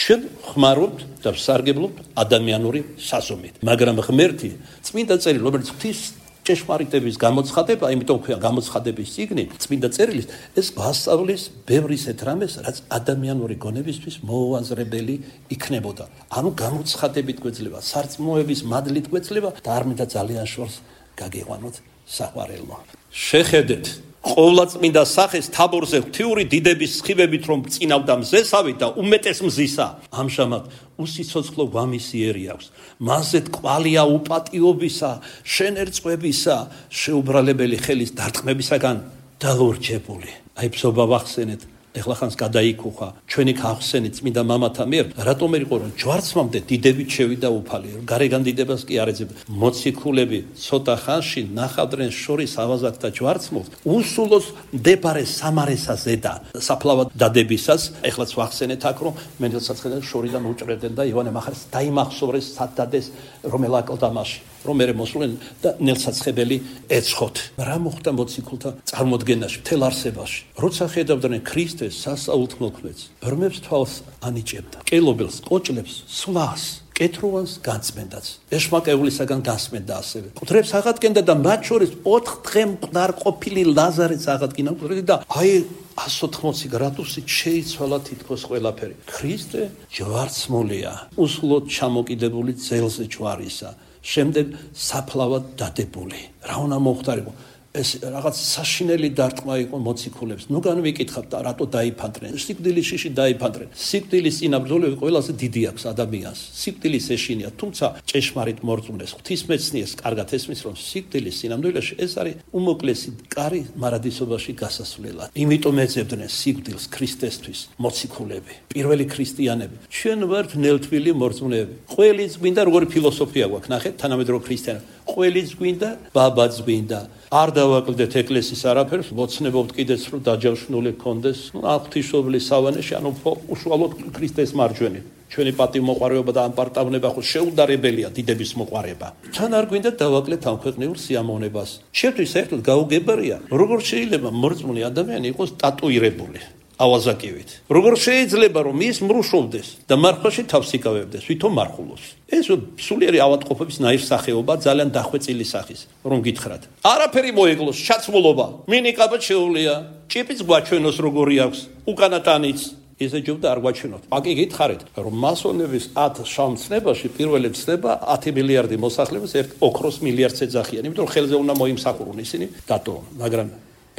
ჩვენ ხმარობთ და ვსარგებლობთ ადამიანური საზომით მაგრამ ღმერთი წმინდა წერილი რომელიც ღვთის ჭეშმარიტების გამოცხადება იმიტომ ქვია გამოცხადების წიგნი წმინდა წერილის ეს გვასწავლის ბევრ ისეთ რამეს რაც ადამიანური გონებისთვის მოუაზრებელი იქნებოდა ანუ გამოცხადებით გვეძლება სარწმუნოების მადლით გვეძლება და არ მინდა ძალიან შორს გაგიყვანოთ საყვარელო შეხედეთ ყოვლადწმინდა სახეს თაბორზე ღვთიური დიდების სხივებით რომ წინავდა მზესავით და უმეტეს მზისა ამჟამად უსიცოცხლო ვამისიერი აქვს მასზე თკვალია უპატიობისა შენერწყვებისა შეუბრალებელი ხელის დარტყმებისაგან დალურჩებული აი ბზობა ვახსენეთ ეხლა ხანს გადაიქუხა ჩვენი ხახსენით წმინდა მამათა მიერ რატომ იყო რომ ჯვარცმამდე დიდებით შევიდა უფალი გარეგან დიდებას კი არ ეძებდა მოციქულები ცოტა ხანში ნახავდნენ შორის ავაზაკთა ჯვარცმულს უსულოს მდებარე სამარესაზედა საფლავად დადებისას ეხლაც ვახსენეთ აქ რომ მენდელსაცხედა შორიდან უჭრებდნენ და ივანე მახარეს დაიმახსოვრეს სადადეს რომელ აკლდამაში რომ მე მოსულენ და ნელსაცხებელი ეცხოთ რა მოხდა მოციქულთა წარმოდგენაში მთელ არსებაში როცა ხედავდნენ ქრისტეს სასაულთმოქმედს ბრმებს თვალს ანიჭებდა კელობელს ყოჭლებს სვლას კეთროვანს განწმენდაც ეშმაკეულისაგან გასმენდა ასევე მკვდრებს აღადგენდა და მათ შორის ოთხ დღე მკვდარ ყოფილი ლაზარეც აღადგინა და აი εκατს ოთხმოცი გრადუსით შეიცვალა თითქოს ყველაფერი ქრისტე ჯვარცმულია უსულოდ ჩამოკიდებული ძელზე ჯვარისა შემდეგ საფლავად დადებული რა უნდა მოხდარიყო ეს რაღაც საშინელი დარტყმა იყო მოციქულებს ნუგან ვიკითხავთ რატო დაიფანტნენ სიკვდილის შიში დაიფანტნენ სიკვდილის წინაბრძოლები ყველაზე დიდი აქვს ადამიანს სიკვდილის ეშინია თუმცა ჭეშმარიტ მორწმუნეს ღვთისმეცნიერს კარგად ესმის რომ სიკვდილის წინამძღოლებში ეს არის უმოკლესი კარი მარადისობაში გასასვლელად იმიტომ ეძებდნენ სიკვდილს ქრისტესთვის მოციქულები პირველი ქრისტიანები ჩვენ ვართ ნელთვილი მორწმუნეები ყველის გვინდა როგორი ფილოსოფია გვაქვს ნახეთ თანამედროვე ქრისტიანები ყველის გვინდა ბაბაც გვინდა არ დავაკლდეთ ეკლესიის არაფერს, მოცნებობთ კიდეც რომ დაჯავშნული კონდეს, ну, ღვთისმშობლის სავანეში, ანუ უშუალოდ ქრისტეს მარჯვენით. ჩვენი პატივმოყვარეობა და ამპარტავნება ხო შეუდარებელია დიდების მოყვარება. თან არ გვინდა დავაკლეთ ამ ქვეყნიურ სიამოვნებას. შევთვის საერთოდ გაუგებარია, როგორ შეიძლება მორწმუნე ადამიანი იყოს ტატუირებული. ავაზაკივით. Როგორ შეიძლება რომ ის მრუშობდეს და მარხვაში თავს იკავებდეს, ვითომ მარხულობს? ეს სულიერი ავადმყოფობის ნაირსახეობა ძალიან დახვეწილი სახის, რომ გითხრათ. არაფერი მოეკლოს, ჩაცმულობა, მინიკაბა შეუულია, ჭიპიც გვაჩვენოს როგორი აქვს, უკანატანიც ესე ჯობდა არ გვაჩვენოთ. აკი გითხარით, რომ მასონების ათ შამცნებაში პირველი ცნება ათი მილიარდი მოსახლეობის ერთ ოქროს მილიარდს ეძახიან, იმიტომ რომ ხელზე უნდა მოიმსახურონ ისინი დატოვონ, მაგრამ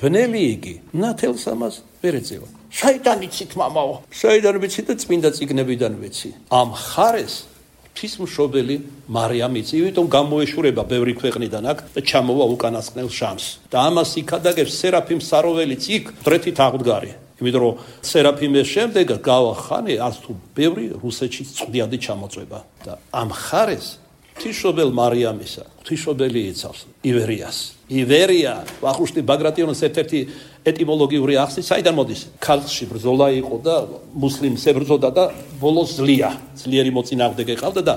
ბნელი იგი ნათელს ამას ვერ ეწევა. საიდან იცით მამაო? საიდან ვიცი და წმინდა წიგნებიდან ვიცი. ამ ხარეს ღვთისმშობელი მარიამ იცი, იმიტომ გამოეშურება ბევრი ქვეყნიდან აქ და ჩამოვა უკანასკნელ შამს. და ამას იქადაგებს სერაფიმ საროველიც იქ დრეთით აღდგარი. იმიტომ რომ სერაფიმის შემდეგ გავა ხანი არც თუ ბევრი რუსეთში წვდიადი ჩამოწვება და ამ ხარეს ღვთისმშობელ მარიამისა ღვთისმშობელი იცავს ივერიას. ივერია ვახუშტი ბაგრატიონის ერთ-ერთი ეტიმოლოგიური ახსნით საიდან მოდის? ქალში ბრძოლა იყო და მუსლიმს ებრძოდა და ბოლოს ძლია, ძლიერი მოწინააღმდეგე ყავდა და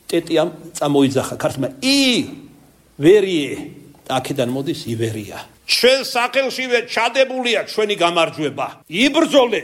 ტეტიამ წამოიძახა ქართლმა ივერიე აქედან მოდის ივერია. ჩვენ სახელშივე ჩადებულია ჩვენი გამარჯვება. იბრძოლე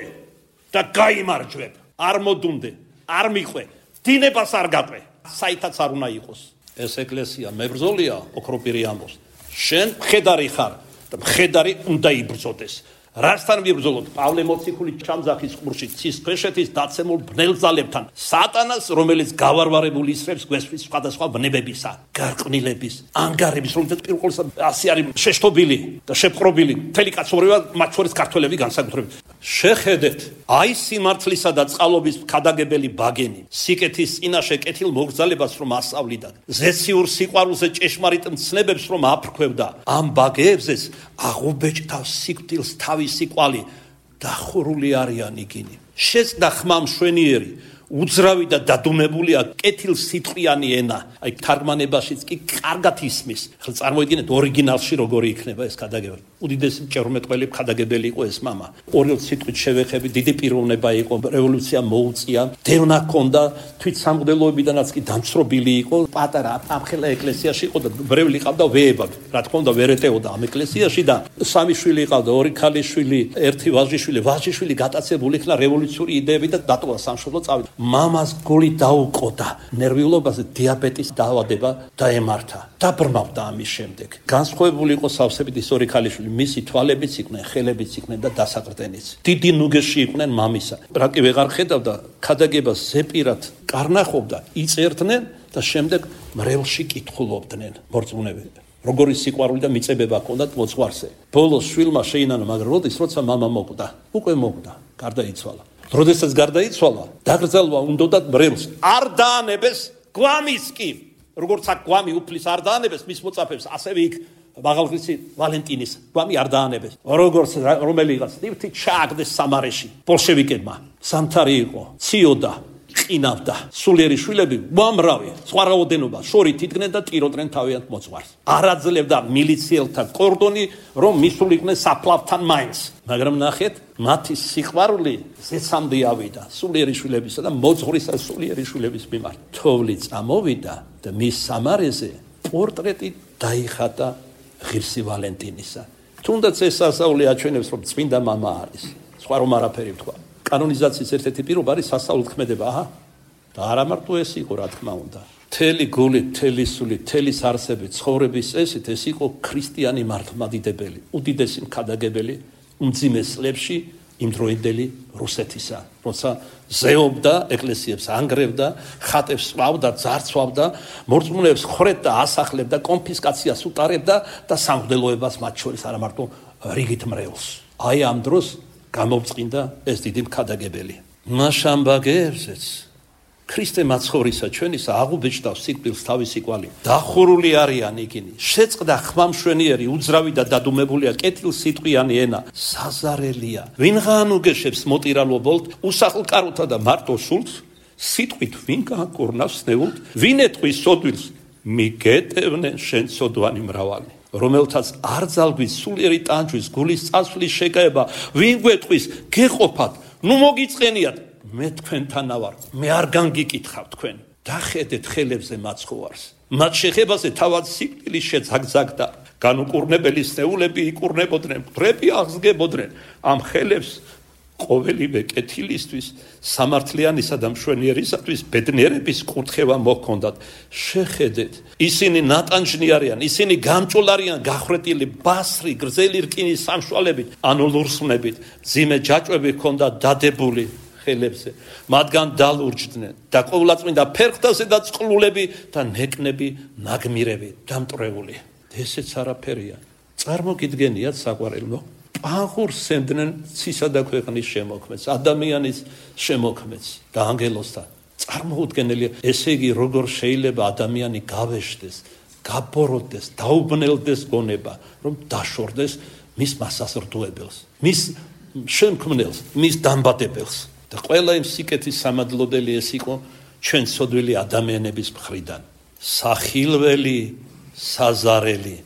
და გაიმარჯვებ. არ მოდუნდე, არ მიყვე, დინებას არ გაყვე. საითაც არ უნდა იყოს. ეს ეკლესია მებრძოლია, ოქროპირი ამბობს. შენ მხედარი ხარ და მხედარი უნდა იბრძოდეს. რასთან ვიბრძოლოთ? პავლე მოციქული ჩამძახის ყურში ცის ქვეშეთის დაცემულ ბნელძალებთან, სატანას, რომელიც გავარვარებული ისრებს გვესვის სხვადასხვა ვნებებისა, გარყვნილების, ანგარების, რომელთაც პირველს ასე არის შეშთობილი და შეპყრობილი, მთელი კაცობრიობა, მათ შორის ქართველები განსაკუთრებით. შეხედეთ, აი სიმართლისა და წყალობის ქადაგებელი ბაგენი, სიკეთის წინაშე კეთილ მოგრძალებას რომ ასავლიდა, ზეციურ სიყვარულზე ჭეშმარიტ მცნებებს რომ აფრქვევდა, ამ ბაგეებზეც აღუბეჭდა სიკვდილს თავისი კვალი, დახურული არიან იგინი. შეწყდა ხმა მშვენიერი, უძრავი და დადუმებულია კეთილ სიტყვიანი ენა. აი თარგმანებაშიც კი კარგად ისმის. ხელ წარმოიდგინეთ ორიგინალში როგორი იქნება ეს ქადაგებელი. უდიდესი მჭერმეტყველი ქადაგებელი იყო ეს მამა. ორი სიტყვით შევეხები, დიდი პიროვნება იყო, რევოლუცია მოუწია, დევნა ჰქონდა, თვით სამღვდელოებიდანაც კი დამცრობილი იყო. პატარა ამხელა ეკლესიაში იყო და ბრევლი ყავდა ვეებად. რა თქმა უნდა ვერ ეტეოდა ამ ეკლესიაში და სამი შვილი ყავდა, ორი ქალიშვილი, ერთი ვაჟიშვილი. ვაჟიშვილი გატაცებული იქნა რევოლუციური იდეები და დატოვა სამშობლო წავიდა. მამას გული დაუყოდა, ნერვიულობაზე დიაბეტის დაავადება დაემართა. დაბრმავდა ამის შემდეგ. განსხვავებული იყო სავსებით ის ორი ქალიშვილი, მისი თვალებიც იყვნენ, ხელებიც იყვნენ და დასაყრდენიც. დიდი ნუგეში იყვნენ მამისა. რაკი ვეღარ ხედავდა, ქადაგებას ზეპირად კარნახობდა, იწერდნენ და შემდეგ მრევლში კითხულობდნენ მორწმუნეები. როგორი სიყვარული და მიწებება ჰქონდათ მოძღვარზე. ბოლოს შვილმა შეინანა, მაგრამ როდის როცა მამა მოკვდა, უკვე მოკვდა, გარდაიცვალა. როდესაც გარდაიცვალა, დაკრძალვა უნდათ მრევლს. არ დაანებეს გვამის კი. როგორც აქ გვამი უფლის არ დაანებეს მის მოწაფებს, ასევე იქ მაღალღრიცი ვალენტინის გვამი არ დაანებეს. როგორც რომელიღაც ნივთი ჩააგდეს სამარეში ბოლშევიკებმა. სამთარი იყო, ციოდა, ყინავდა. სულიერი შვილები უამრავი, სხვა რაოდენობა, შორით იდგნენ და ტიროდნენ თავიანთ მოძღვარს. არ აძლევდა მილიციელთა კორდონი, რომ მისულიყვნენ საფლავთან მაინც. მაგრამ ნახეთ, მათი სიყვარული ზეცამდე ავიდა სულიერი შვილებისა და მოძღვრის სულიერი შვილების მიმართ. თოვლი წამოვიდა და მის სამარეზე პორტრეტი დაიხატა ღირსი ვალენტინისა. თუნდაც ეს სასაული აჩვენებს, რომ წმინდა მამა არის. სხვა რომ არაფერი ვთქვა. კანონიზაციის ერთ-ერთი პირობა არის სასაულით ქმედება, აჰა. და არა მარტო ეს იყო, რა თქმა უნდა. მთელი გულით, მთელი სულით, მთელი არსებით, ცხოვრების წესით ეს იყო ქრისტიანი მართლმადიდებელი, უდიდესი მქადაგებელი უმძიმე წლებში იმდროინდელი რუსეთისა, როცა ზეობდა, ეკლესიებს ანგრევდა, ხატებს სვავდა, ძარცვავდა, მორწმუნეებს ხრედდა, ასახლებდა, კონფისკაციას უტარებდა და სამღვდელოებას მათ შორის არა მარტო რიგით მრევლს. აი ამ დროს გამოვწყინდა ეს დიდი მქადაგებელი. მაშამ ბაგეებზეც ქრისტე მაცხოვრისა ჩვენისა აღუბეჭდა სიკვდილს თავისი კვალი. დახურული არიან იგინი. შეწყდა ხმა მშვენიერი, უძრავი და დადუმებულია კეთილ სიტყვიანი ენა. საზარელია. ვინღან უგეშებს მოტირალობოლთ, უსახლკაროთა და მარტო სულს, სიტყვით ვინ გააკურნავს ნეულთ, ვინ ეტყვის სოდვილს, მიგეტევნენ შენ სოდვანი მრავალი. რომელთაც არ ძალგვის სულიერი ტანჯვის გულის წასვლის შეკაება, ვინ გვეტყვის გეყოფათ, ნუ მოგიწყენიათ. მე თქვენთანა ვარ, მე არ განგიკითხავ თქვენ. დახედეთ ხელებზე მაცხოვარს. მათ შეხებაზე თავად სიკვდილი შეძაგძაგდა. განუკურნებელი სნეულები იკურნებოდნენ, მტრები აღსგებოდნენ. ამ ხელებს ყოველივე კეთილისთვის, სამართლიანისა და მშვენიერისათვის ბედნიერების კურთხევა მოჰქონდათ. შეხედეთ, ისინი ნატანჯნი არიან, ისინი გამჭულ არიან, გახრეტილი ბასრი, გრძელი რკინის სამშვალებით, ანუ ლურსმნებით, ძიმე ჯაჭვები ჰქონდათ დადებული ხელებზე. მათგან დალურჯდნენ და ყოვლადწმინდა ფერხთაზე და წყლულები და ნეკნები ნაგმირები დამტრეული. ესეც არაფერია. წარმოგიდგენიათ საყვარელო, პანხურს სცემდნენ ცისა და ქვეყნის შემოქმედს, ადამიანის შემოქმედს და ანგელოსთან. წარმოუდგენელია, ესე იგი, როგორ შეიძლება ადამიანი გავეშდეს, გაბოროტდეს, დაუბნელდეს გონება, რომ დაშორდეს მის მასაზრდოებელს, მის შემქმნელს, მის დამბადებელს. და ყველა იმ სიკეთის სამადლოდელი ეს იყო ჩვენ ცოდვილი ადამიანების მხრიდან. სახილველი, საზარელი,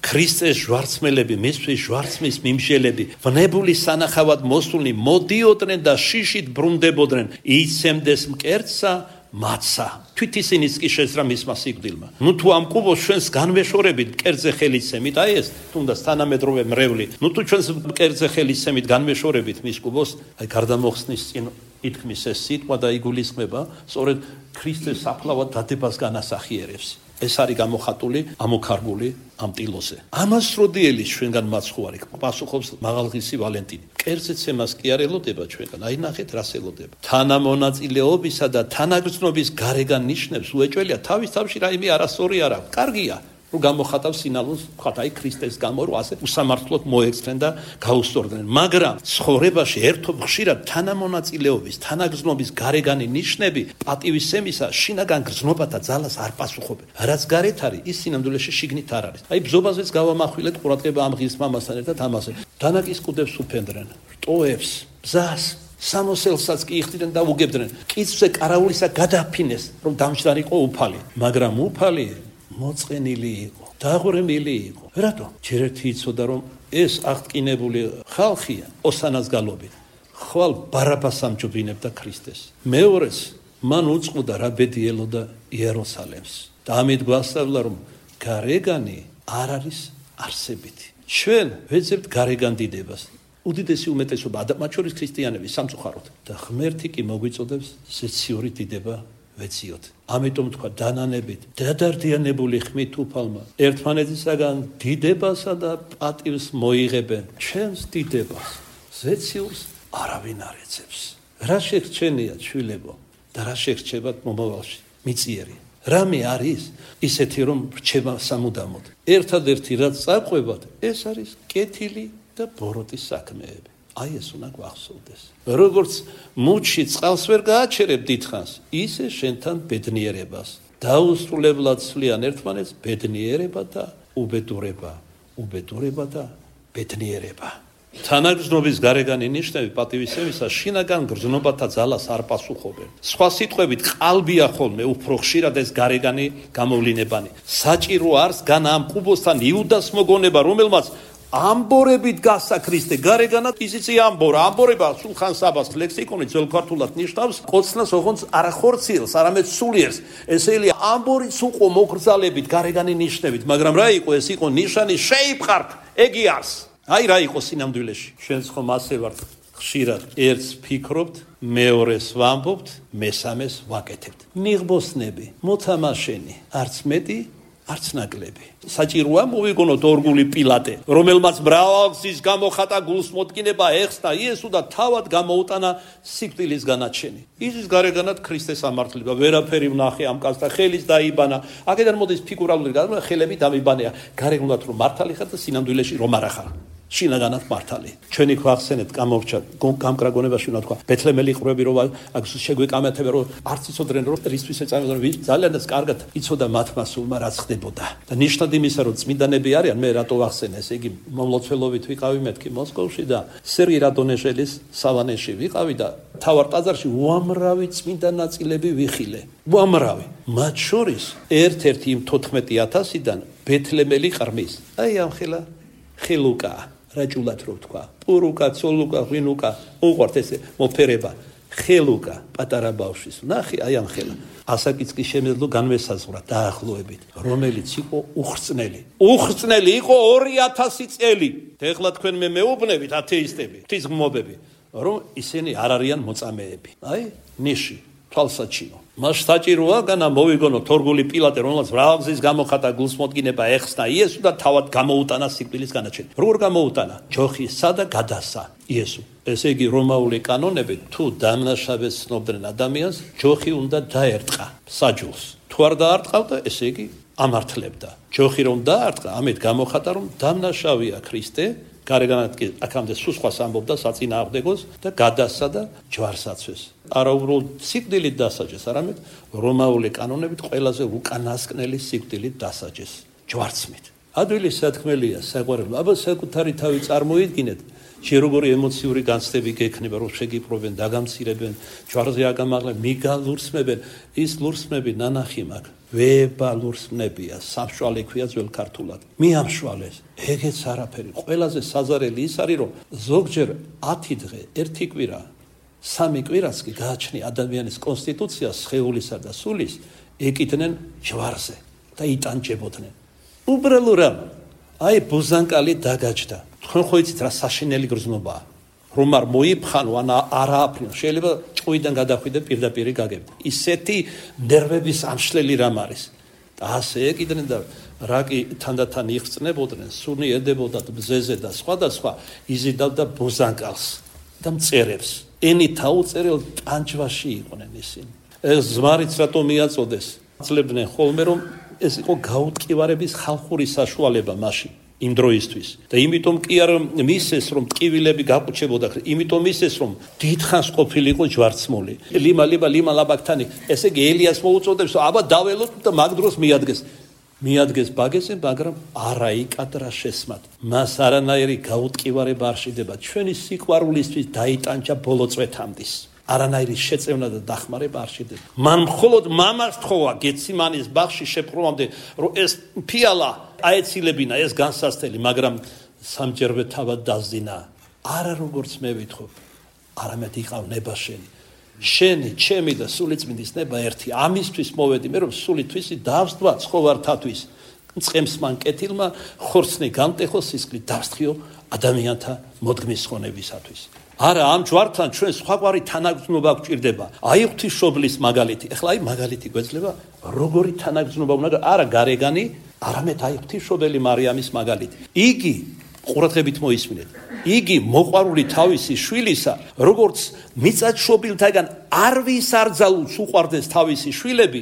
ქრისტეს ჟვარცმელები, მისთვის ჟვარცმის მიმშელები, ვნებული სანახავად მოსულნი მოდიოდნენ და შიშით ბრუნდებოდნენ, იცემდეს მკერდსა მათსა. თვით ისინიც კი შეძრა მისმა სიკვდილმა. ნუ თუ ამ კუბოს ჩვენს განვეშორებით მკერდზე ხელისცემით, აი ეს თუნდაც თანამედროვე მრევლი, ნუ თუ ჩვენს მკერდზე ხელისცემით განვეშორებით მის კუბოს, აი გარდამოხსნის წინ ითქმის ეს სიტყვა და იგულისხმება სწორედ ქრისტეს საფლავად დადებას განასახიერებს. ეს არის გამოხატული ამოქარგული ამ ტილოზე. ამას როდიელის ჩვენგან მაცხოვარი პასუხობს მაღალღისი ვალენტინი. მკერდზე ცემას კი არ ელოდება ჩვენგან, აი ნახეთ რას ელოდება. თანამონაწილეობისა და თანაგრძნობის გარეგან ნიშნებს უეჭველია თავის თავში რაიმე არასწორი არ აქვს. კარგია, რომ გამოხატავს სინალოს, ვთქვათ, აი ქრისტეს გამო რომ ასე უსამართლოდ მოექცნენ და გაუსწორდნენ. მაგრამ ცხოვრებაში ერთობ ხშირად თანამონაწილეობის, თანაგრძნობის გარეგანი ნიშნები პატივისცემისა შინაგან გრძნობათა ძალას არ პასუხობენ. რაც გარეთ არის, ის სინამდვილეში შიგნით არ არის. აი ბზობაზეც გავამახვილეთ ყურადღება ამ ღირს მამასთან ერთად ამაზე. დანაკის კუდებს უფენდრენ, რტოებს, ბზას, სამოსელსაც კი იხდიდნენ და უგებდნენ. კიცზე კარაულისა გადაფინეს, რომ დამჯდარიყო უფალი, მაგრამ უფალი მოწყენილი იყო, დაღვრემილი იყო. რატო? ჯერ ერთი იცოდა, რომ ეს აღტკინებული ხალხია ოსანას გალობით. ხვალ ბარაბას ამჯობინებდა ქრისტეს. მეორეს, მან უწყოდა რა ბედი ელოდა იერუსალემს. და ამით გვასწავლა, რომ გარეგანი არ არის არსებითი. ჩვენ ვეძებთ გარეგან დიდებას. უდიდესი უმეტესობა მათ შორის ქრისტიანები სამწუხაროდ და ღმერთი კი მოგვიწოდებს ზეციური დიდება ვეციოთ. ამიტომ თქვა დანანებით დადარდიანებული ხმით უფალმა ერთმანეთისაგან დიდებასა და პატივს მოიღებენ ჩვენს დიდებას. ზეციურს არავინ არ ეცებს. რა შეგრჩენიათ შვილებო და რა შეგრჩებათ მომავალში? მიწიერი. რამე არის ისეთი რომ რჩება სამუდამოდ. ერთადერთი რაც წარყვებათ ეს არის კეთილი და ბოროტის საქმეები. აი ეს უნდა გვახსოვდეს. როგორც მუჩი წყალს ვერ გააჩერებ დიდხანს, ისე შენთან ბედნიერებას. დაუსრულებლად ცვლიან ერთმანეთს ბედნიერება და უბედურება, უბედურება და ბედნიერება. თანაგრძნობის გარეგანი ნიშნები პატივისცემისა შინაგან გრძნობათა ძალას არ პასუხობენ. სხვა სიტყვებით, ყალბია ხოლმე უფრო ხშირად ეს გარეგანი გამოვლინებანი. საჭირო არს გან ამ კუბოსთან იუდას მოგონება, რომელმაც ამბორებით გასა ქრისტე გარეგანად ისიც ამბორა ამბორება სულხან საბას ლექსიკონი ძველ ქართულად ნიშნავს კოცნას ოღონდ არა ხორციელს არამედ სულიერს ესელი ამბორიც უყო მოგრძალებით გარეგანი ნიშნებით მაგრამ რა იყო ეს იყო ნიშანი შეიფყართ ეგი არს აი რა იყო სინამდვილეში ჩვენც ხომ ასე ვართ ხშირად ერთს ფიქრობთ მეორეს ვამბობთ მესამეს ვაკეთებთ მიღბოსნები მოთამაშენი არც მეტი არც ნაკლები. საჭიროა მოვიგონოთ ორგული პილატე, რომელმაც მრავალგზის გამოხატა გულს მოდგინება ეხსნა იესო და თავად გამოუტანა სიკვდილის განაჩენი. ის გარეგანად ქრისტეს ამართლება, ვერაფერი ვნახე ამ კაცს და ხელის დაიბანა. აქედან მოდის ფიგურალური გადმოვა, ხელები დამიბანეა. გარეგნულად რომ მართალი ხარ და სინამდვილეში რომ არ ახარ. შინაგანად მართალი. ჩვენი გვახსენეთ გამორჩა გამკრაგონებაში უნდა თქვა ბეთლემელი ყრები რომ აქ შეგვეკამათება რომ არც იცოდნენ რომ რისთვის ეწამებოდნენ ვინ ძალიანაც კარგად იცოდა მათმა სულმა რაც ხდებოდა და ნიშნად იმისა რომ წმინდანები არიან მე რატო ვახსენე ესე იგი მომლოცველობით ვიყავი მეთქი მოსკოვში და სერგი რადონეჟელის სავანეში ვიყავი და თავარ ტაძარში უამრავი წმინდა ნაწილები ვიხილე უამრავი მათ შორის ერთ-ერთი იმ თოთხმეტი ათასიდან ბეთლემელი ყრმის აი ამ ხელა ხელუკა რაჭულად რო თქვა პურუკა ცოლუკა ღვინუკა უყვართ ესე მოფერება ხელუკა პატარა ბავშვის ნახე აი ამ ხელა ასაკიც კი შემეძლო განმესაზღვრა დაახლოებით რომელიც იყო უხრწნელი უხრწნელი იყო ორი ათასი წელი ეხლა თქვენ მე მეუბნებით ათეისტები ღვთისმგმობები რომ ისინი არ არიან მოწამეები. აი, ნიში, თვალსაჩინო. მას საჭიროა განა მოვიგონო თორგული პილატე, რომელსაც მრავალგზის გამოხატა გულსმოდგინება ეხსნა იესო და თავად გამოუტანა სიკვდილის განაჩენი. როგორ გამოუტანა? ჯოხისა და გადასა იესო. ესე იგი რომაული კანონები თუ დამნაშავეს ცნობდნენ ადამიანს, ჯოხი უნდა დაერტყა საჯულს. თუ არ დაარტყავდა, ესე იგი ამართლებდა. ჯოხი რომ დაარტყა, ამით გამოხატა რომ დამნაშავია ქრისტე, გარეგანად კი აქამდე სულ სხვას ამბობდა საწინააღმდეგოს და გადასა და ჯვარს აწვეს. არა უბრალოდ სიკვდილით დასაჯეს, არამედ რომაული კანონებით ყველაზე უკანასკნელი სიკვდილით დასაჯეს, ჯვარცმით. ადვილი სათქმელია საყვარელო, აბა საკუთარი თავი წარმოიდგინეთ, შე როგორი ემოციური განცდები გექნება, რომ შეგიპყრობენ, დაგამცირებენ, ჯვარზე აგამაღლენ, მიგალურსმებენ, ის ლურსმები ნანახი მაქვს. ვება ლურსმნებია, სამშვალე ქვია ძველ ქართულად. მიამშვალეს, ეგეც არაფერი. ყველაზე საზარელი ის არის, რომ ზოგჯერ ათი დღე, ერთი კვირა, სამი კვირაც კი გააჩნია ადამიანის კონსტიტუციას, სხეულისა და სულის, ეკიდნენ ჯვარზე და იტანჯებოდნენ. უბრალოდ აი ბუზანკალი დაგაჯდა. თქვენ ხო იცით რა საშინელი გრძნობაა. რომ არ მოიფხანო ან არა აფრინო, შეიძლება ჭყვიდან გადახვიდე პირდაპირ გაგებთ. ისეთი ნერვების ამშლელი რამ არის. და ასე ეკიდნენ და რაკი თანდათან იხსნებოდნენ, სუნი ედებოდათ ბზეზე და სხვადასხვა, იზიდავდა ბუზანკალს და მწერებს. ენით აუწერელ ტანჯვაში იყვნენ ისინი. ეს ზმარიც რატო მიაწოდეს? ძლევდნენ ხოლმე რომ ეს იყო გაუტკივარების ხალხური საშუალება მაშინ. იმ დროისთვის და იმიტომ კი არ მისეს რომ ტკივილები გაყუჩებოდა, იმიტომ მისეს რომ დიდხანს ყოფილიყო ჯვარცმული. ლიმა ლიმა ლიმა ლაბაკთანი, ესე იგი ელიას მოუწოდებს, აბა დაველოთ და მაგ დროს მიადგეს. მიადგეს ბაგეზე, მაგრამ არა იკადრა შესმად. მას არანაირი გაუტკივარება არ შედება. ჩვენი სიყვარულისთვის დაიტანჯა ბოლო წვეთამდის. არანაირი შეწევნა და დახმარება არ შედება. მან მხოლოდ მამას თხოვა გეციმანის ბაღში შეპყრომამდე, რომ ეს ფიალა აეცილებინა ეს განსასწრელი, მაგრამ სამჯერვე თავად დაზინა. არა როგორც მე ვითხოვ, არამედ იყავ ნება შენი. შენი, ჩემი და სულიწმინდის ნება ერთი. ამისთვის მოვედი მე, რომ სულითვისი დავსდვა ცხოვართათვის. მწყემს მან კეთილმა ხორცნი გამტეხო სისხლი დავსთხიო ადამიანთა მოდგმის ხონებისათვის. არა, ამ ჯვართან ჩვენ სხვაგვარი თანაგრძნობა გვჭირდება. აი ღვთისმშობლის მაგალითი. ეხლა აი მაგალითი გვეძლება, როგორი თანაგრძნობა უნდა, არა გარეგანი, არამედ აი ღვთისმშობელი მარიამის მაგალითი. იგი ყურადღებით მოისმინეთ. იგი მოყვარული თავისი შვილისა, როგორც მიწათმშობილთაგან არ ვის არძალულს უყვარდეს თავისი შვილები,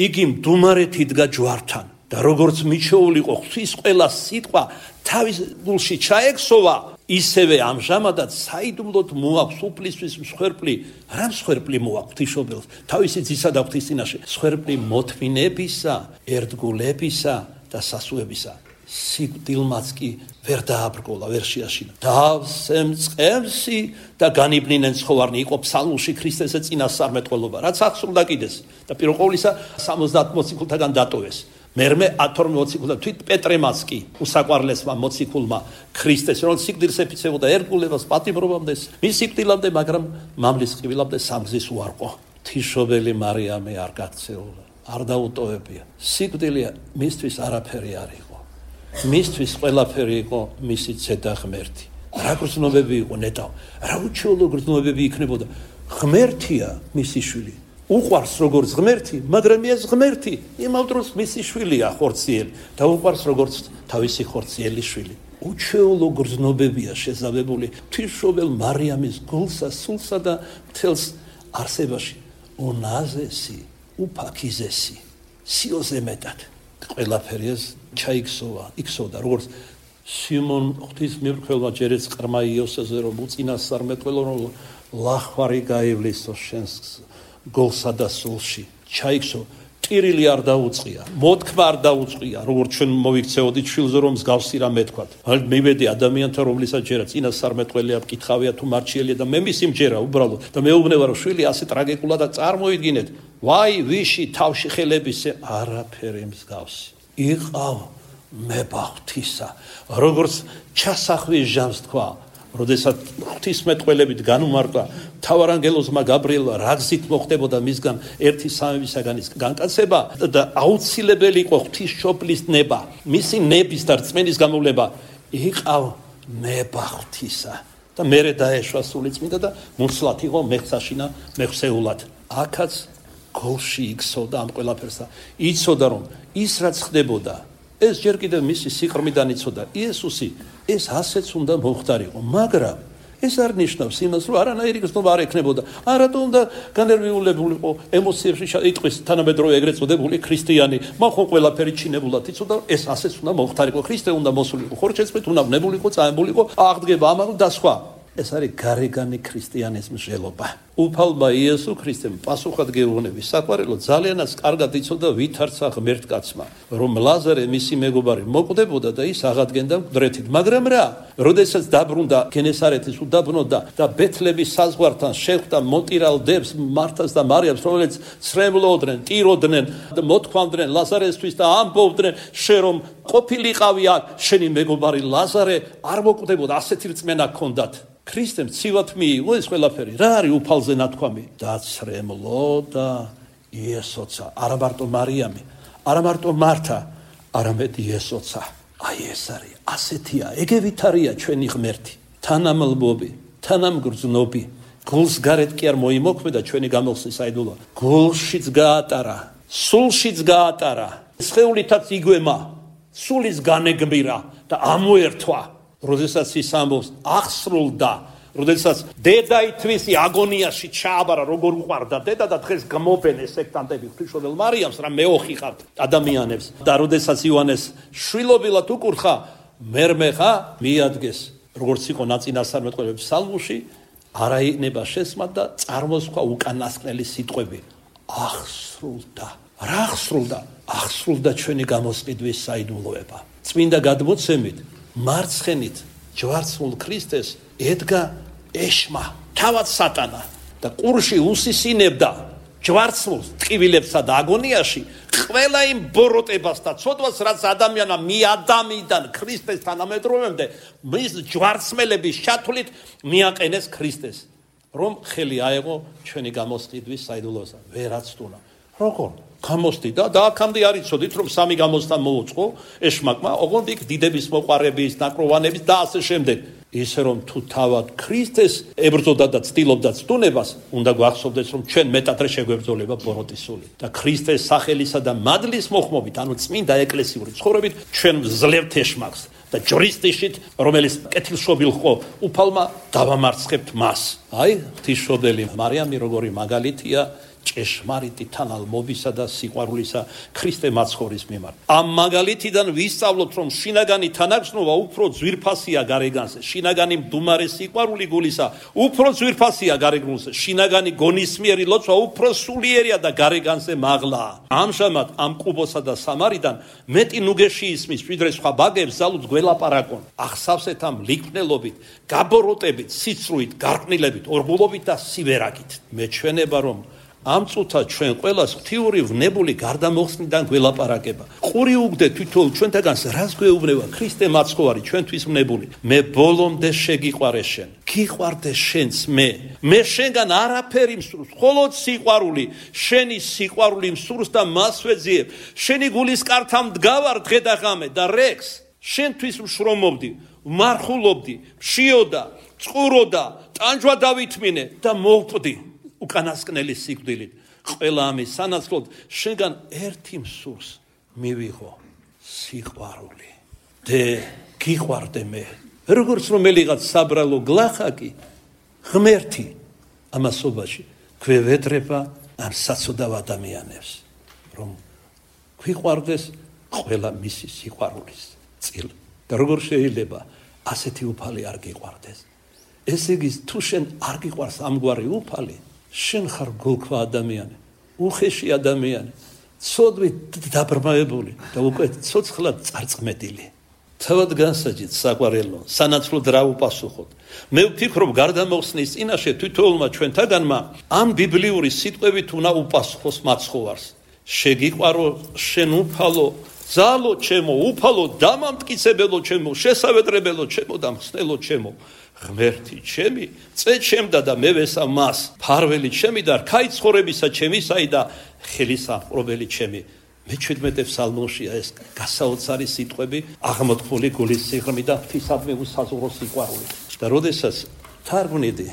იგი მდუმარეთ იდგა ჯვართან. და როგორც მიჩეულიყო ღვთის ყველა სიტყვა თავის გულში ჩაექსოვა, ისევე ამჟამადაც საიდუმლოდ მოაქვს უფლისთვის მსხვერპლი, რა მსხვერპლი მოაქვს ღვთისმშობელს თავისი ძისა და ღვთის წინაშე, მსხვერპლი მოთმინებისა, ერთგულებისა და სასუებისა. სიკვდილმაც კი ვერ დააბრკოლა, ვერ შეაშინა. დავსემწყემსი და განიბნინენ ცხოვარნი, იყო ფსალმულში ქრისტესე წინასწარმეტყველობა, რაც აღსრულდა კიდეს და პირველ ყოვლისა სამოცდაათ მოციქულთაგან დატოვეს. მერმე ათორმეტ მოციქულთან თვით პეტრემაც კი უსაყვარლესმა მოციქულმა ქრისტეს, რომ სიკვდილს ეფიცებოდა ერთგულებას პატიმრობამდეს, მის სიკვდილამდე, მაგრამ მამლის ყივილამდე სამგზის უარყო. ღვთისმშობელი მარიამი არ გაქცეულა, არ დაუტოვებია. სიკვდილი მისთვის არაფერი არ იყო. მისთვის ყველაფერი იყო მისი ცედა ღმერთი. რა გრძნობები იყო ნეტავ, რა უჩვეულო გრძნობები იქნებოდა. ღმერთია მისი შვილი. უყვარს როგორც ღმერთი, მაგრამ ეს ღმერთი იმავ დროს მისი შვილია ხორციელი და უყვარს როგორც თავისი ხორციელი შვილი. უჩვეულო გრძნობებია შეზავებული ღვთისმშობელ მარიამის გულსა, სულსა და მთელს არსებაში. უნაზესი, უფაქიზესი, სიოზე მეტად. ყველაფერი ეს ჩაიქსოვა, იქსოვდა, როგორც სიმონ ღვთისმირქველმა ჯერეც ყრმა იოსეზე რომ უწინასწარმეტყველო, რომ ლახვარი გაივლისო შენს გულსა და სულში. ჩაიქსო, ტირილი არ დაუწყია, მოთქმა არ დაუწყია, როგორც ჩვენ მოვიქცეოდით შვილზე რომ მსგავსი რამე თქვათ. მივედი ადამიანთა, რომლისა ჯერა წინასწარმეტყველია, მკითხავია თუ მარჩიელია და მე მისი მჯერა უბრალოდ და მეუბნება რომ შვილი ასე ტრაგიკულად წარმოიდგინეთ. ვაი, ვიში თავში ხელებისე არაფერი მსგავსი. იყავ მებაღთისა, როგორც ჩასახვის ჟამს თქვა. როდესაც ღვთისმეტყველებით განუმარტვა მთავარანგელოზმა გაბრიელმა რა გზით მოხდებოდა მისგან ერთი სამებისაგან ის განკაცება და აუცილებელი იყო ღვთისმშობლის ნება, მისი ნების და რწმენის გამოვლება. იყავ ნება ღვთისა, და მერე დაეშვა სული წმინდა და მუცლად იყო მეხსაშინა მეხსეულად. აქაც გოლში იქცოდა ამ ყველაფერს და იცოდა რომ ის რაც ხდებოდა ეს ჯერ კიდევ მისი სიყრმიდან იცოდა იესოსი ეს ასეც უნდა მოხდარიყო მაგრამ ეს არ ნიშნავს იმას რომ არანაირი გზნობა არ ექნებოდა არათუ უნდა განერვიულებულიყო ემოციებში იტყვის თანამედროვე ეგრეთ წოდებული ქრისტიანი მაგრამ ყველაფერი ჩინებულად იცოდა ეს ასეც უნდა მოხდარიყო ქრისტე უნდა მოსულიყო ხორჩეწმით უნდა ვნებულიყო წაემბულიყო აღდგება ამაღლ და სხვა ეს არის გარეგანი ქრისტიანიზმის ჟელობა. უფალმა იესო ქრისტემ პასუხად გეუბნები საყვარელო ძალიანაც კარგად იცოდა ვითარცა ღმერთკაცმა რომ ლაზარე მისი მეგობარი მოკვდებოდა და ის აღადგენდა მკვდრეთით მაგრამ რა როდესაც დაბრუნდა გენესარეთის უდაბნოდა და ბეთლების საზღვართან შეხვდა მონტირალ დებს მართას და მარიამს რომელიც ცრემლოდნენ ტიროდნენ და მოთქვამდნენ ლაზარესთვის და ამბობდნენ შენ რომ ყოფილიყავი აქ შენი მეგობარი ლაზარე არ მოკვდებოდა ასეთი რწმენა ჰქონდათ ქრისტემ ცივად მიიღო ეს ყველაფერი რა არის უფალზე ნათქვამი დაცრემლო და იესოცა არა მარტო მარიამი არა მარტო მართა არამედ იესოცა აი ეს არის ასეთია ეგევით არია ჩვენი ღმერთი თანამლბობი თანამგრძნობი გულს გარეთ კი არ მოიმოქმედა ჩვენი გამოსვლის საიდუმლო გულშიც გაატარა სულშიც გაატარა სხეულითაც იგვემა სულის განეგმირა და ამოერთვა როდესაც ის ამბობს აღსრულდა როდესაც დედა ითვისი აგონიაში ჩააბარა როგორ უყვარდა დედა და დღეს გამობენეს სექტანტები ღვთისმშობელ მარიამს რა მეოხი ხართ ადამიანებს და როდესაც იოანეს შვილობილად უკურხა მერმე ხა მიადგეს როგორც იყო ნაწინასწარმეტყველების ფსალმუში არაინება შესმა და წარმოსხვა უკანასკნელი სიტყვები აღსრულდა რა აღსრულდა აღსრულდა ჩვენი გამოსყიდვის საიდუმლოება წმინდა გადმოცემით მარცხენით ჯვარცმულ ქრისტეს ედგა ეშმა თავად სატანა და ყურში უსისინებდა ჯვარცმულს ტყივილებსა და აგონიაში ყველა იმ ბოროტებას და ცოდვას რაც ადამიანმა მიადამიდან ქრისტეს თანამედროვემდე მის ჯვარცმელების ჩათვლით მიაყენეს ქრისტეს რომ ხელი აეღო ჩვენი გამოსყიდვის საიდუმლოებაზე ვერაცდუნა როგორ გამოსდიდა და აქამდე არ იცოდით რომ სამი გამოსთან მოუწყო ეშმაკმა ოღონდ იქ დიდების მოყარების ნაკროვანების და ასე შემდეგ ისე რომ თუ თავად ქრისტეს ებრძოდა და ცდილობდა ცდუნებას უნდა გვახსოვდეს რომ ჩვენ მეტადრე შეგვებრძოლება ბოროტის სული და ქრისტეს სახელისა და მადლის მოხმობით ანუ წმინდა ეკლესიური ცხოვრებით ჩვენ ვძლევთ ეშმაკს და ჯურისტიშით რომელიც კეთილშობილ ხო უფალმა დავამარცხებთ მას აი ღვთისმშობელი მარიამი როგორი მაგალითია ჭეშმარიტი თანალმობისა და სიყვარულისა ქრისტე მაცხოვრის მიმართ. ამ მაგალითიდან ვისწავლოთ, რომ შინაგანი თანაგრძნობა უფრო ძვირფასია გარეგანზე, შინაგანი მდუმარე სიყვარული გულისა უფრო ძვირფასია გარეგანზე, შინაგანი გონისმიერი ლოცვა უფრო სულიერია და გარეგანზე მაღლაა. ამჟამად ამ კუბოსა და სამარიდან მეტი ნუგეში ისმის, ვიდრე სხვა ბაგებს ზალუც გველაპარაკონ. ახსავსეთ ამ ლიქვნელობით, გაბოროტებით, სიცრუით, გარყვნილებით, ორგულობით და სივერაგით. მეჩვენება რომ ამ წუთად ჩვენ ყველას ღვთიური ვნებული გარდამოხსნიდან გველაპარაკება. ყური უგდე თვითონ ჩვენთაგანს რას გვეუბნება ქრისტე მაცხოვარი ჩვენთვის ვნებული. მე ბოლომდე შეგიყვარე შენ. გიყვარდე შენც მე. მე შენგან არაფერი მსურს, მხოლოდ სიყვარული. შენი სიყვარული მსურს და მას ვეძიებ. შენი გულის კართან მდგავარ დღე და ღამე და რეკს შენთვის მშრომობდი, ვმარხულობდი, მშიოდა, წყუროდა, ტანჯვა დავითმინე და მოვპდი. უკანასკნელი სიკვდილით ყველა ამის სანაცვლოდ შენგან ერთი მსურს მივიღო სიყვარული დე გიყვარდე მე როგორც რომელიღაც საბრალო გლახაკი ღმერთი ამასობაში გვევედრება ამ საცოდავ ადამიანებს რომ გვიყვარდეს ყველა მისი სიყვარულის წილ და როგორ შეიძლება ასეთი უფალი არ გიყვარდეს ესე იგი თუ შენ არ გიყვარს ამგვარი უფალი შენ ხარ გულქვა ადამიანი, უხეში ადამიანი, ცოდვით დაბრმავებული და უკვე ცოცხლად წარწმედილი. თავად განსაჯეთ საყვარელო, სანაცვლოდ რა უპასუხოთ. მე ვფიქრობ გარდამოხსნის წინაშე თვითონმა ჩვენთაგანმა ამ ბიბლიური სიტყვებით უნდა უპასუხოს მაცხოვარს. შეგიყვარო შენ უფალო, ძალო ჩემო, უფალო, დამამტკიცებელო ჩემო, შესავედრებელო ჩემო და მხსნელო ჩემო. ღმერთი ჩემი, წე ჩემდა და მე ვესა მას, ფარველი ჩემი და რქაი ცხოვრებისა ჩემისაი და ხელისამყრობელი ჩემი. მეჩვიდმეტე ფსალმოშია ეს გასაოცარი სიტყვები, აღმოთხული გულის სიღრმით და ღვთისადმი უსაზღვრო სიყვარული. და როდესაც თარგმნიდი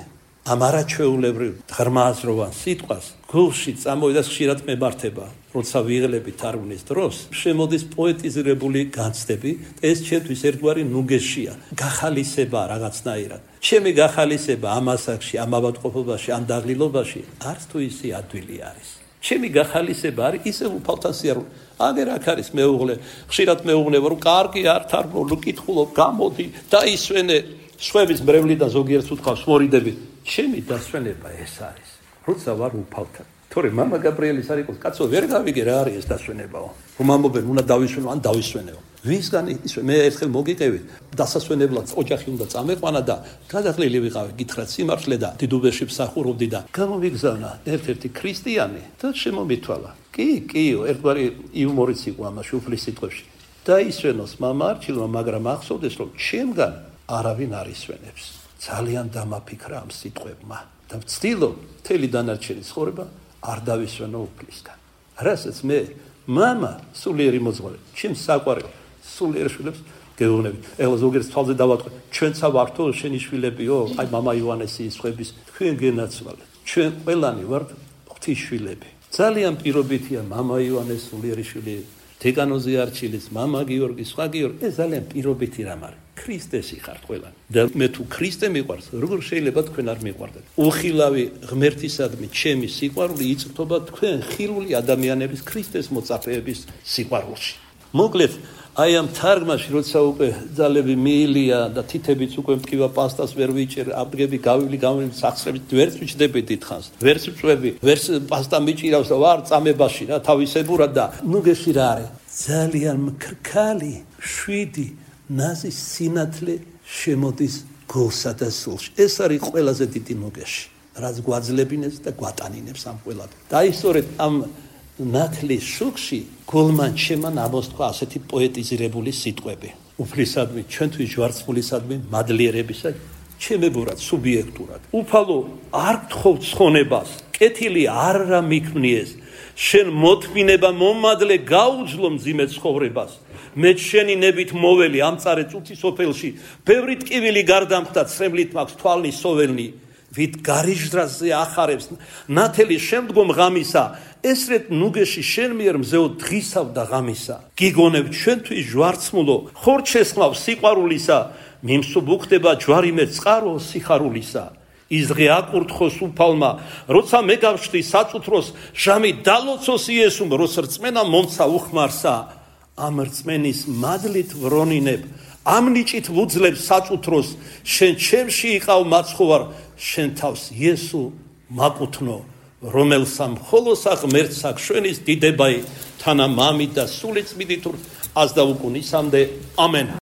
ამ არაჩვეულებრივ ღრმააზროვან სიტყვას გულში წამოვიდა ხშირად მემართება როცა ვიღლები თარგმნის დროს შემოდის პოეტიზირებული განცდები ეს ჩემთვის ერთგვარი ნუგეშია გახალისება რაღაცნაირად ჩემი გახალისება ამ ასაკში ამ ავადმყოფობაში ამ დაღლილობაში არც თუ ისე ადვილი არის ჩემი გახალისება არის ისე უფალთან სიარული აგერ აქ არის მეუღლე ხშირად მეუღლება რომ კარგი არ თარგმნო კითხულობ გამოდი დაისვენე სხვების მრევლიდან ზოგიერთს უთქვამს მორიდები ჩემი დასვენება ეს არის როცა ვარ უფალთან თორე მამა გაბრიელის არ იყოს კაცო ვერ გავიგე რა არის ეს დასვენებაო რომ ამობენ უნდა დავისვენო ან დავისვენეო ვისგან ისე მე ერთხელ მოგიყევით დასასვენებლად ოჯახი უნდა წამეყვანა და გადაღლილი ვიყავი გითხრათ სიმართლე და დიდუბეში მსახურობდი და გამომიგზავნა ერთ-ერთი ქრისტიანი და შემომითვალა კი კიო ერთგვარი იუმორიც იყო ამაში უფლის სიტყვებში დაისვენოს მამა არჩილმა მაგრამ ახსოვდეს რომ ჩემგან არავინ არ ისვენებს ძალიან დამაფიქრა ამ სიტყვებმა და ვცდილობ მთელი დანარჩენი ცხოვრება არ დავისვენო უფლისგან რასაც მე მამა სულიერი მოძღვარი ჩემს საყვარელ სულიერ შვილებს გეუბნები ეხლა ზოგიერთ თვალზე დავატყვე ჩვენცა ვართო შენი შვილებიო აი მამა ივანესის ხვების თქვენ გენაცვალეთ ჩვენ ყველანი ვართ ღვთის შვილები ძალიან პირობითია მამა ივანეს სულიერი შვილი დეკანოზი არჩილის მამა გიორგი სხვა გიორგი ეს ძალიან პირობითი რამ არის ქრისტესი ხართ ყველანი და მე თუ ქრისტე მიყვარს როგორ შეიძლება თქვენ არ მიყვარდეთ უხილავი ღმერთისადმი ჩემი სიყვარული იწვრთობა თქვენ ხილული ადამიანების ქრისტეს მოწაფეების სიყვარულში მოკლედ აი ამ თარგმანში როცა უკვე ძალები მიილია და თითებიც უკვე მკივა პასტას ვერ ვიჭერ აბგები გავივლი გავივლი სახსრებით ვერც ვიჭდები დიდხანს ვერც ვწვევი ვერც პასტა მიჭირავს და ვარ წამებაში რა თავისებურად და ნუგეში რა არის ძალიან მქრქალი შვიდი ნაზის სინათლე შემოდის გულსა და სულში ეს არის ყველაზე დიდი ნუგეში რაც გვაძლებინებს და გვატანინებს ამ ყველაფერს და აი სწორედ ამ ნათლის შუქში გულმან შემან ამოსთქვა ასეთი პოეტიზირებული სიტყვები უფლისადმი ჩვენთვის ჯვარცმულისადმი მადლიერებისა ჩემებურად სუბიექტურად უფალო არ გთხოვ ცხონებას კეთილი არ რა მიქმნიეს შენ მოთმინება მომადლე გაუძლო მძიმე ცხოვრებას მე შენი ნებით მოველი ამწარე წუთის ოფელში ბევრი ტკივილი გარდამხდა ცრემლით მაქვს თვალნის სოველნი ვით გარიჟდრაზე ახარებს ნათელი შემდგომ ღამისა ესრეთ ნუგეში შენ მიერ მზეო დღისავ და ღამისა გიგონებ ჩვენთვის ჯვარცმულო ხორ შესხმავ სიყვარულისა მიმსუბუქდება ჯვარი მე წყარო სიხარულისა ის დღე აკურთხოს უფალმა როცა მე გავშდი საწუთროს ჟამი დალოცოს იესუმ როს რწმენა მომცა უხმარსა ამ რწმენის მადლით ვრონინებ ამ ნიჭით ვუძლებ საწუთროს შენ ჩემში იყავ მაცხოვარ შენ თავს იესო მაკუთნო რომელსა მხოლოსა ღმერთსა შვენის დიდებაი თანა მამი და სული წმინდით აზდა უკუნისამდე ამენ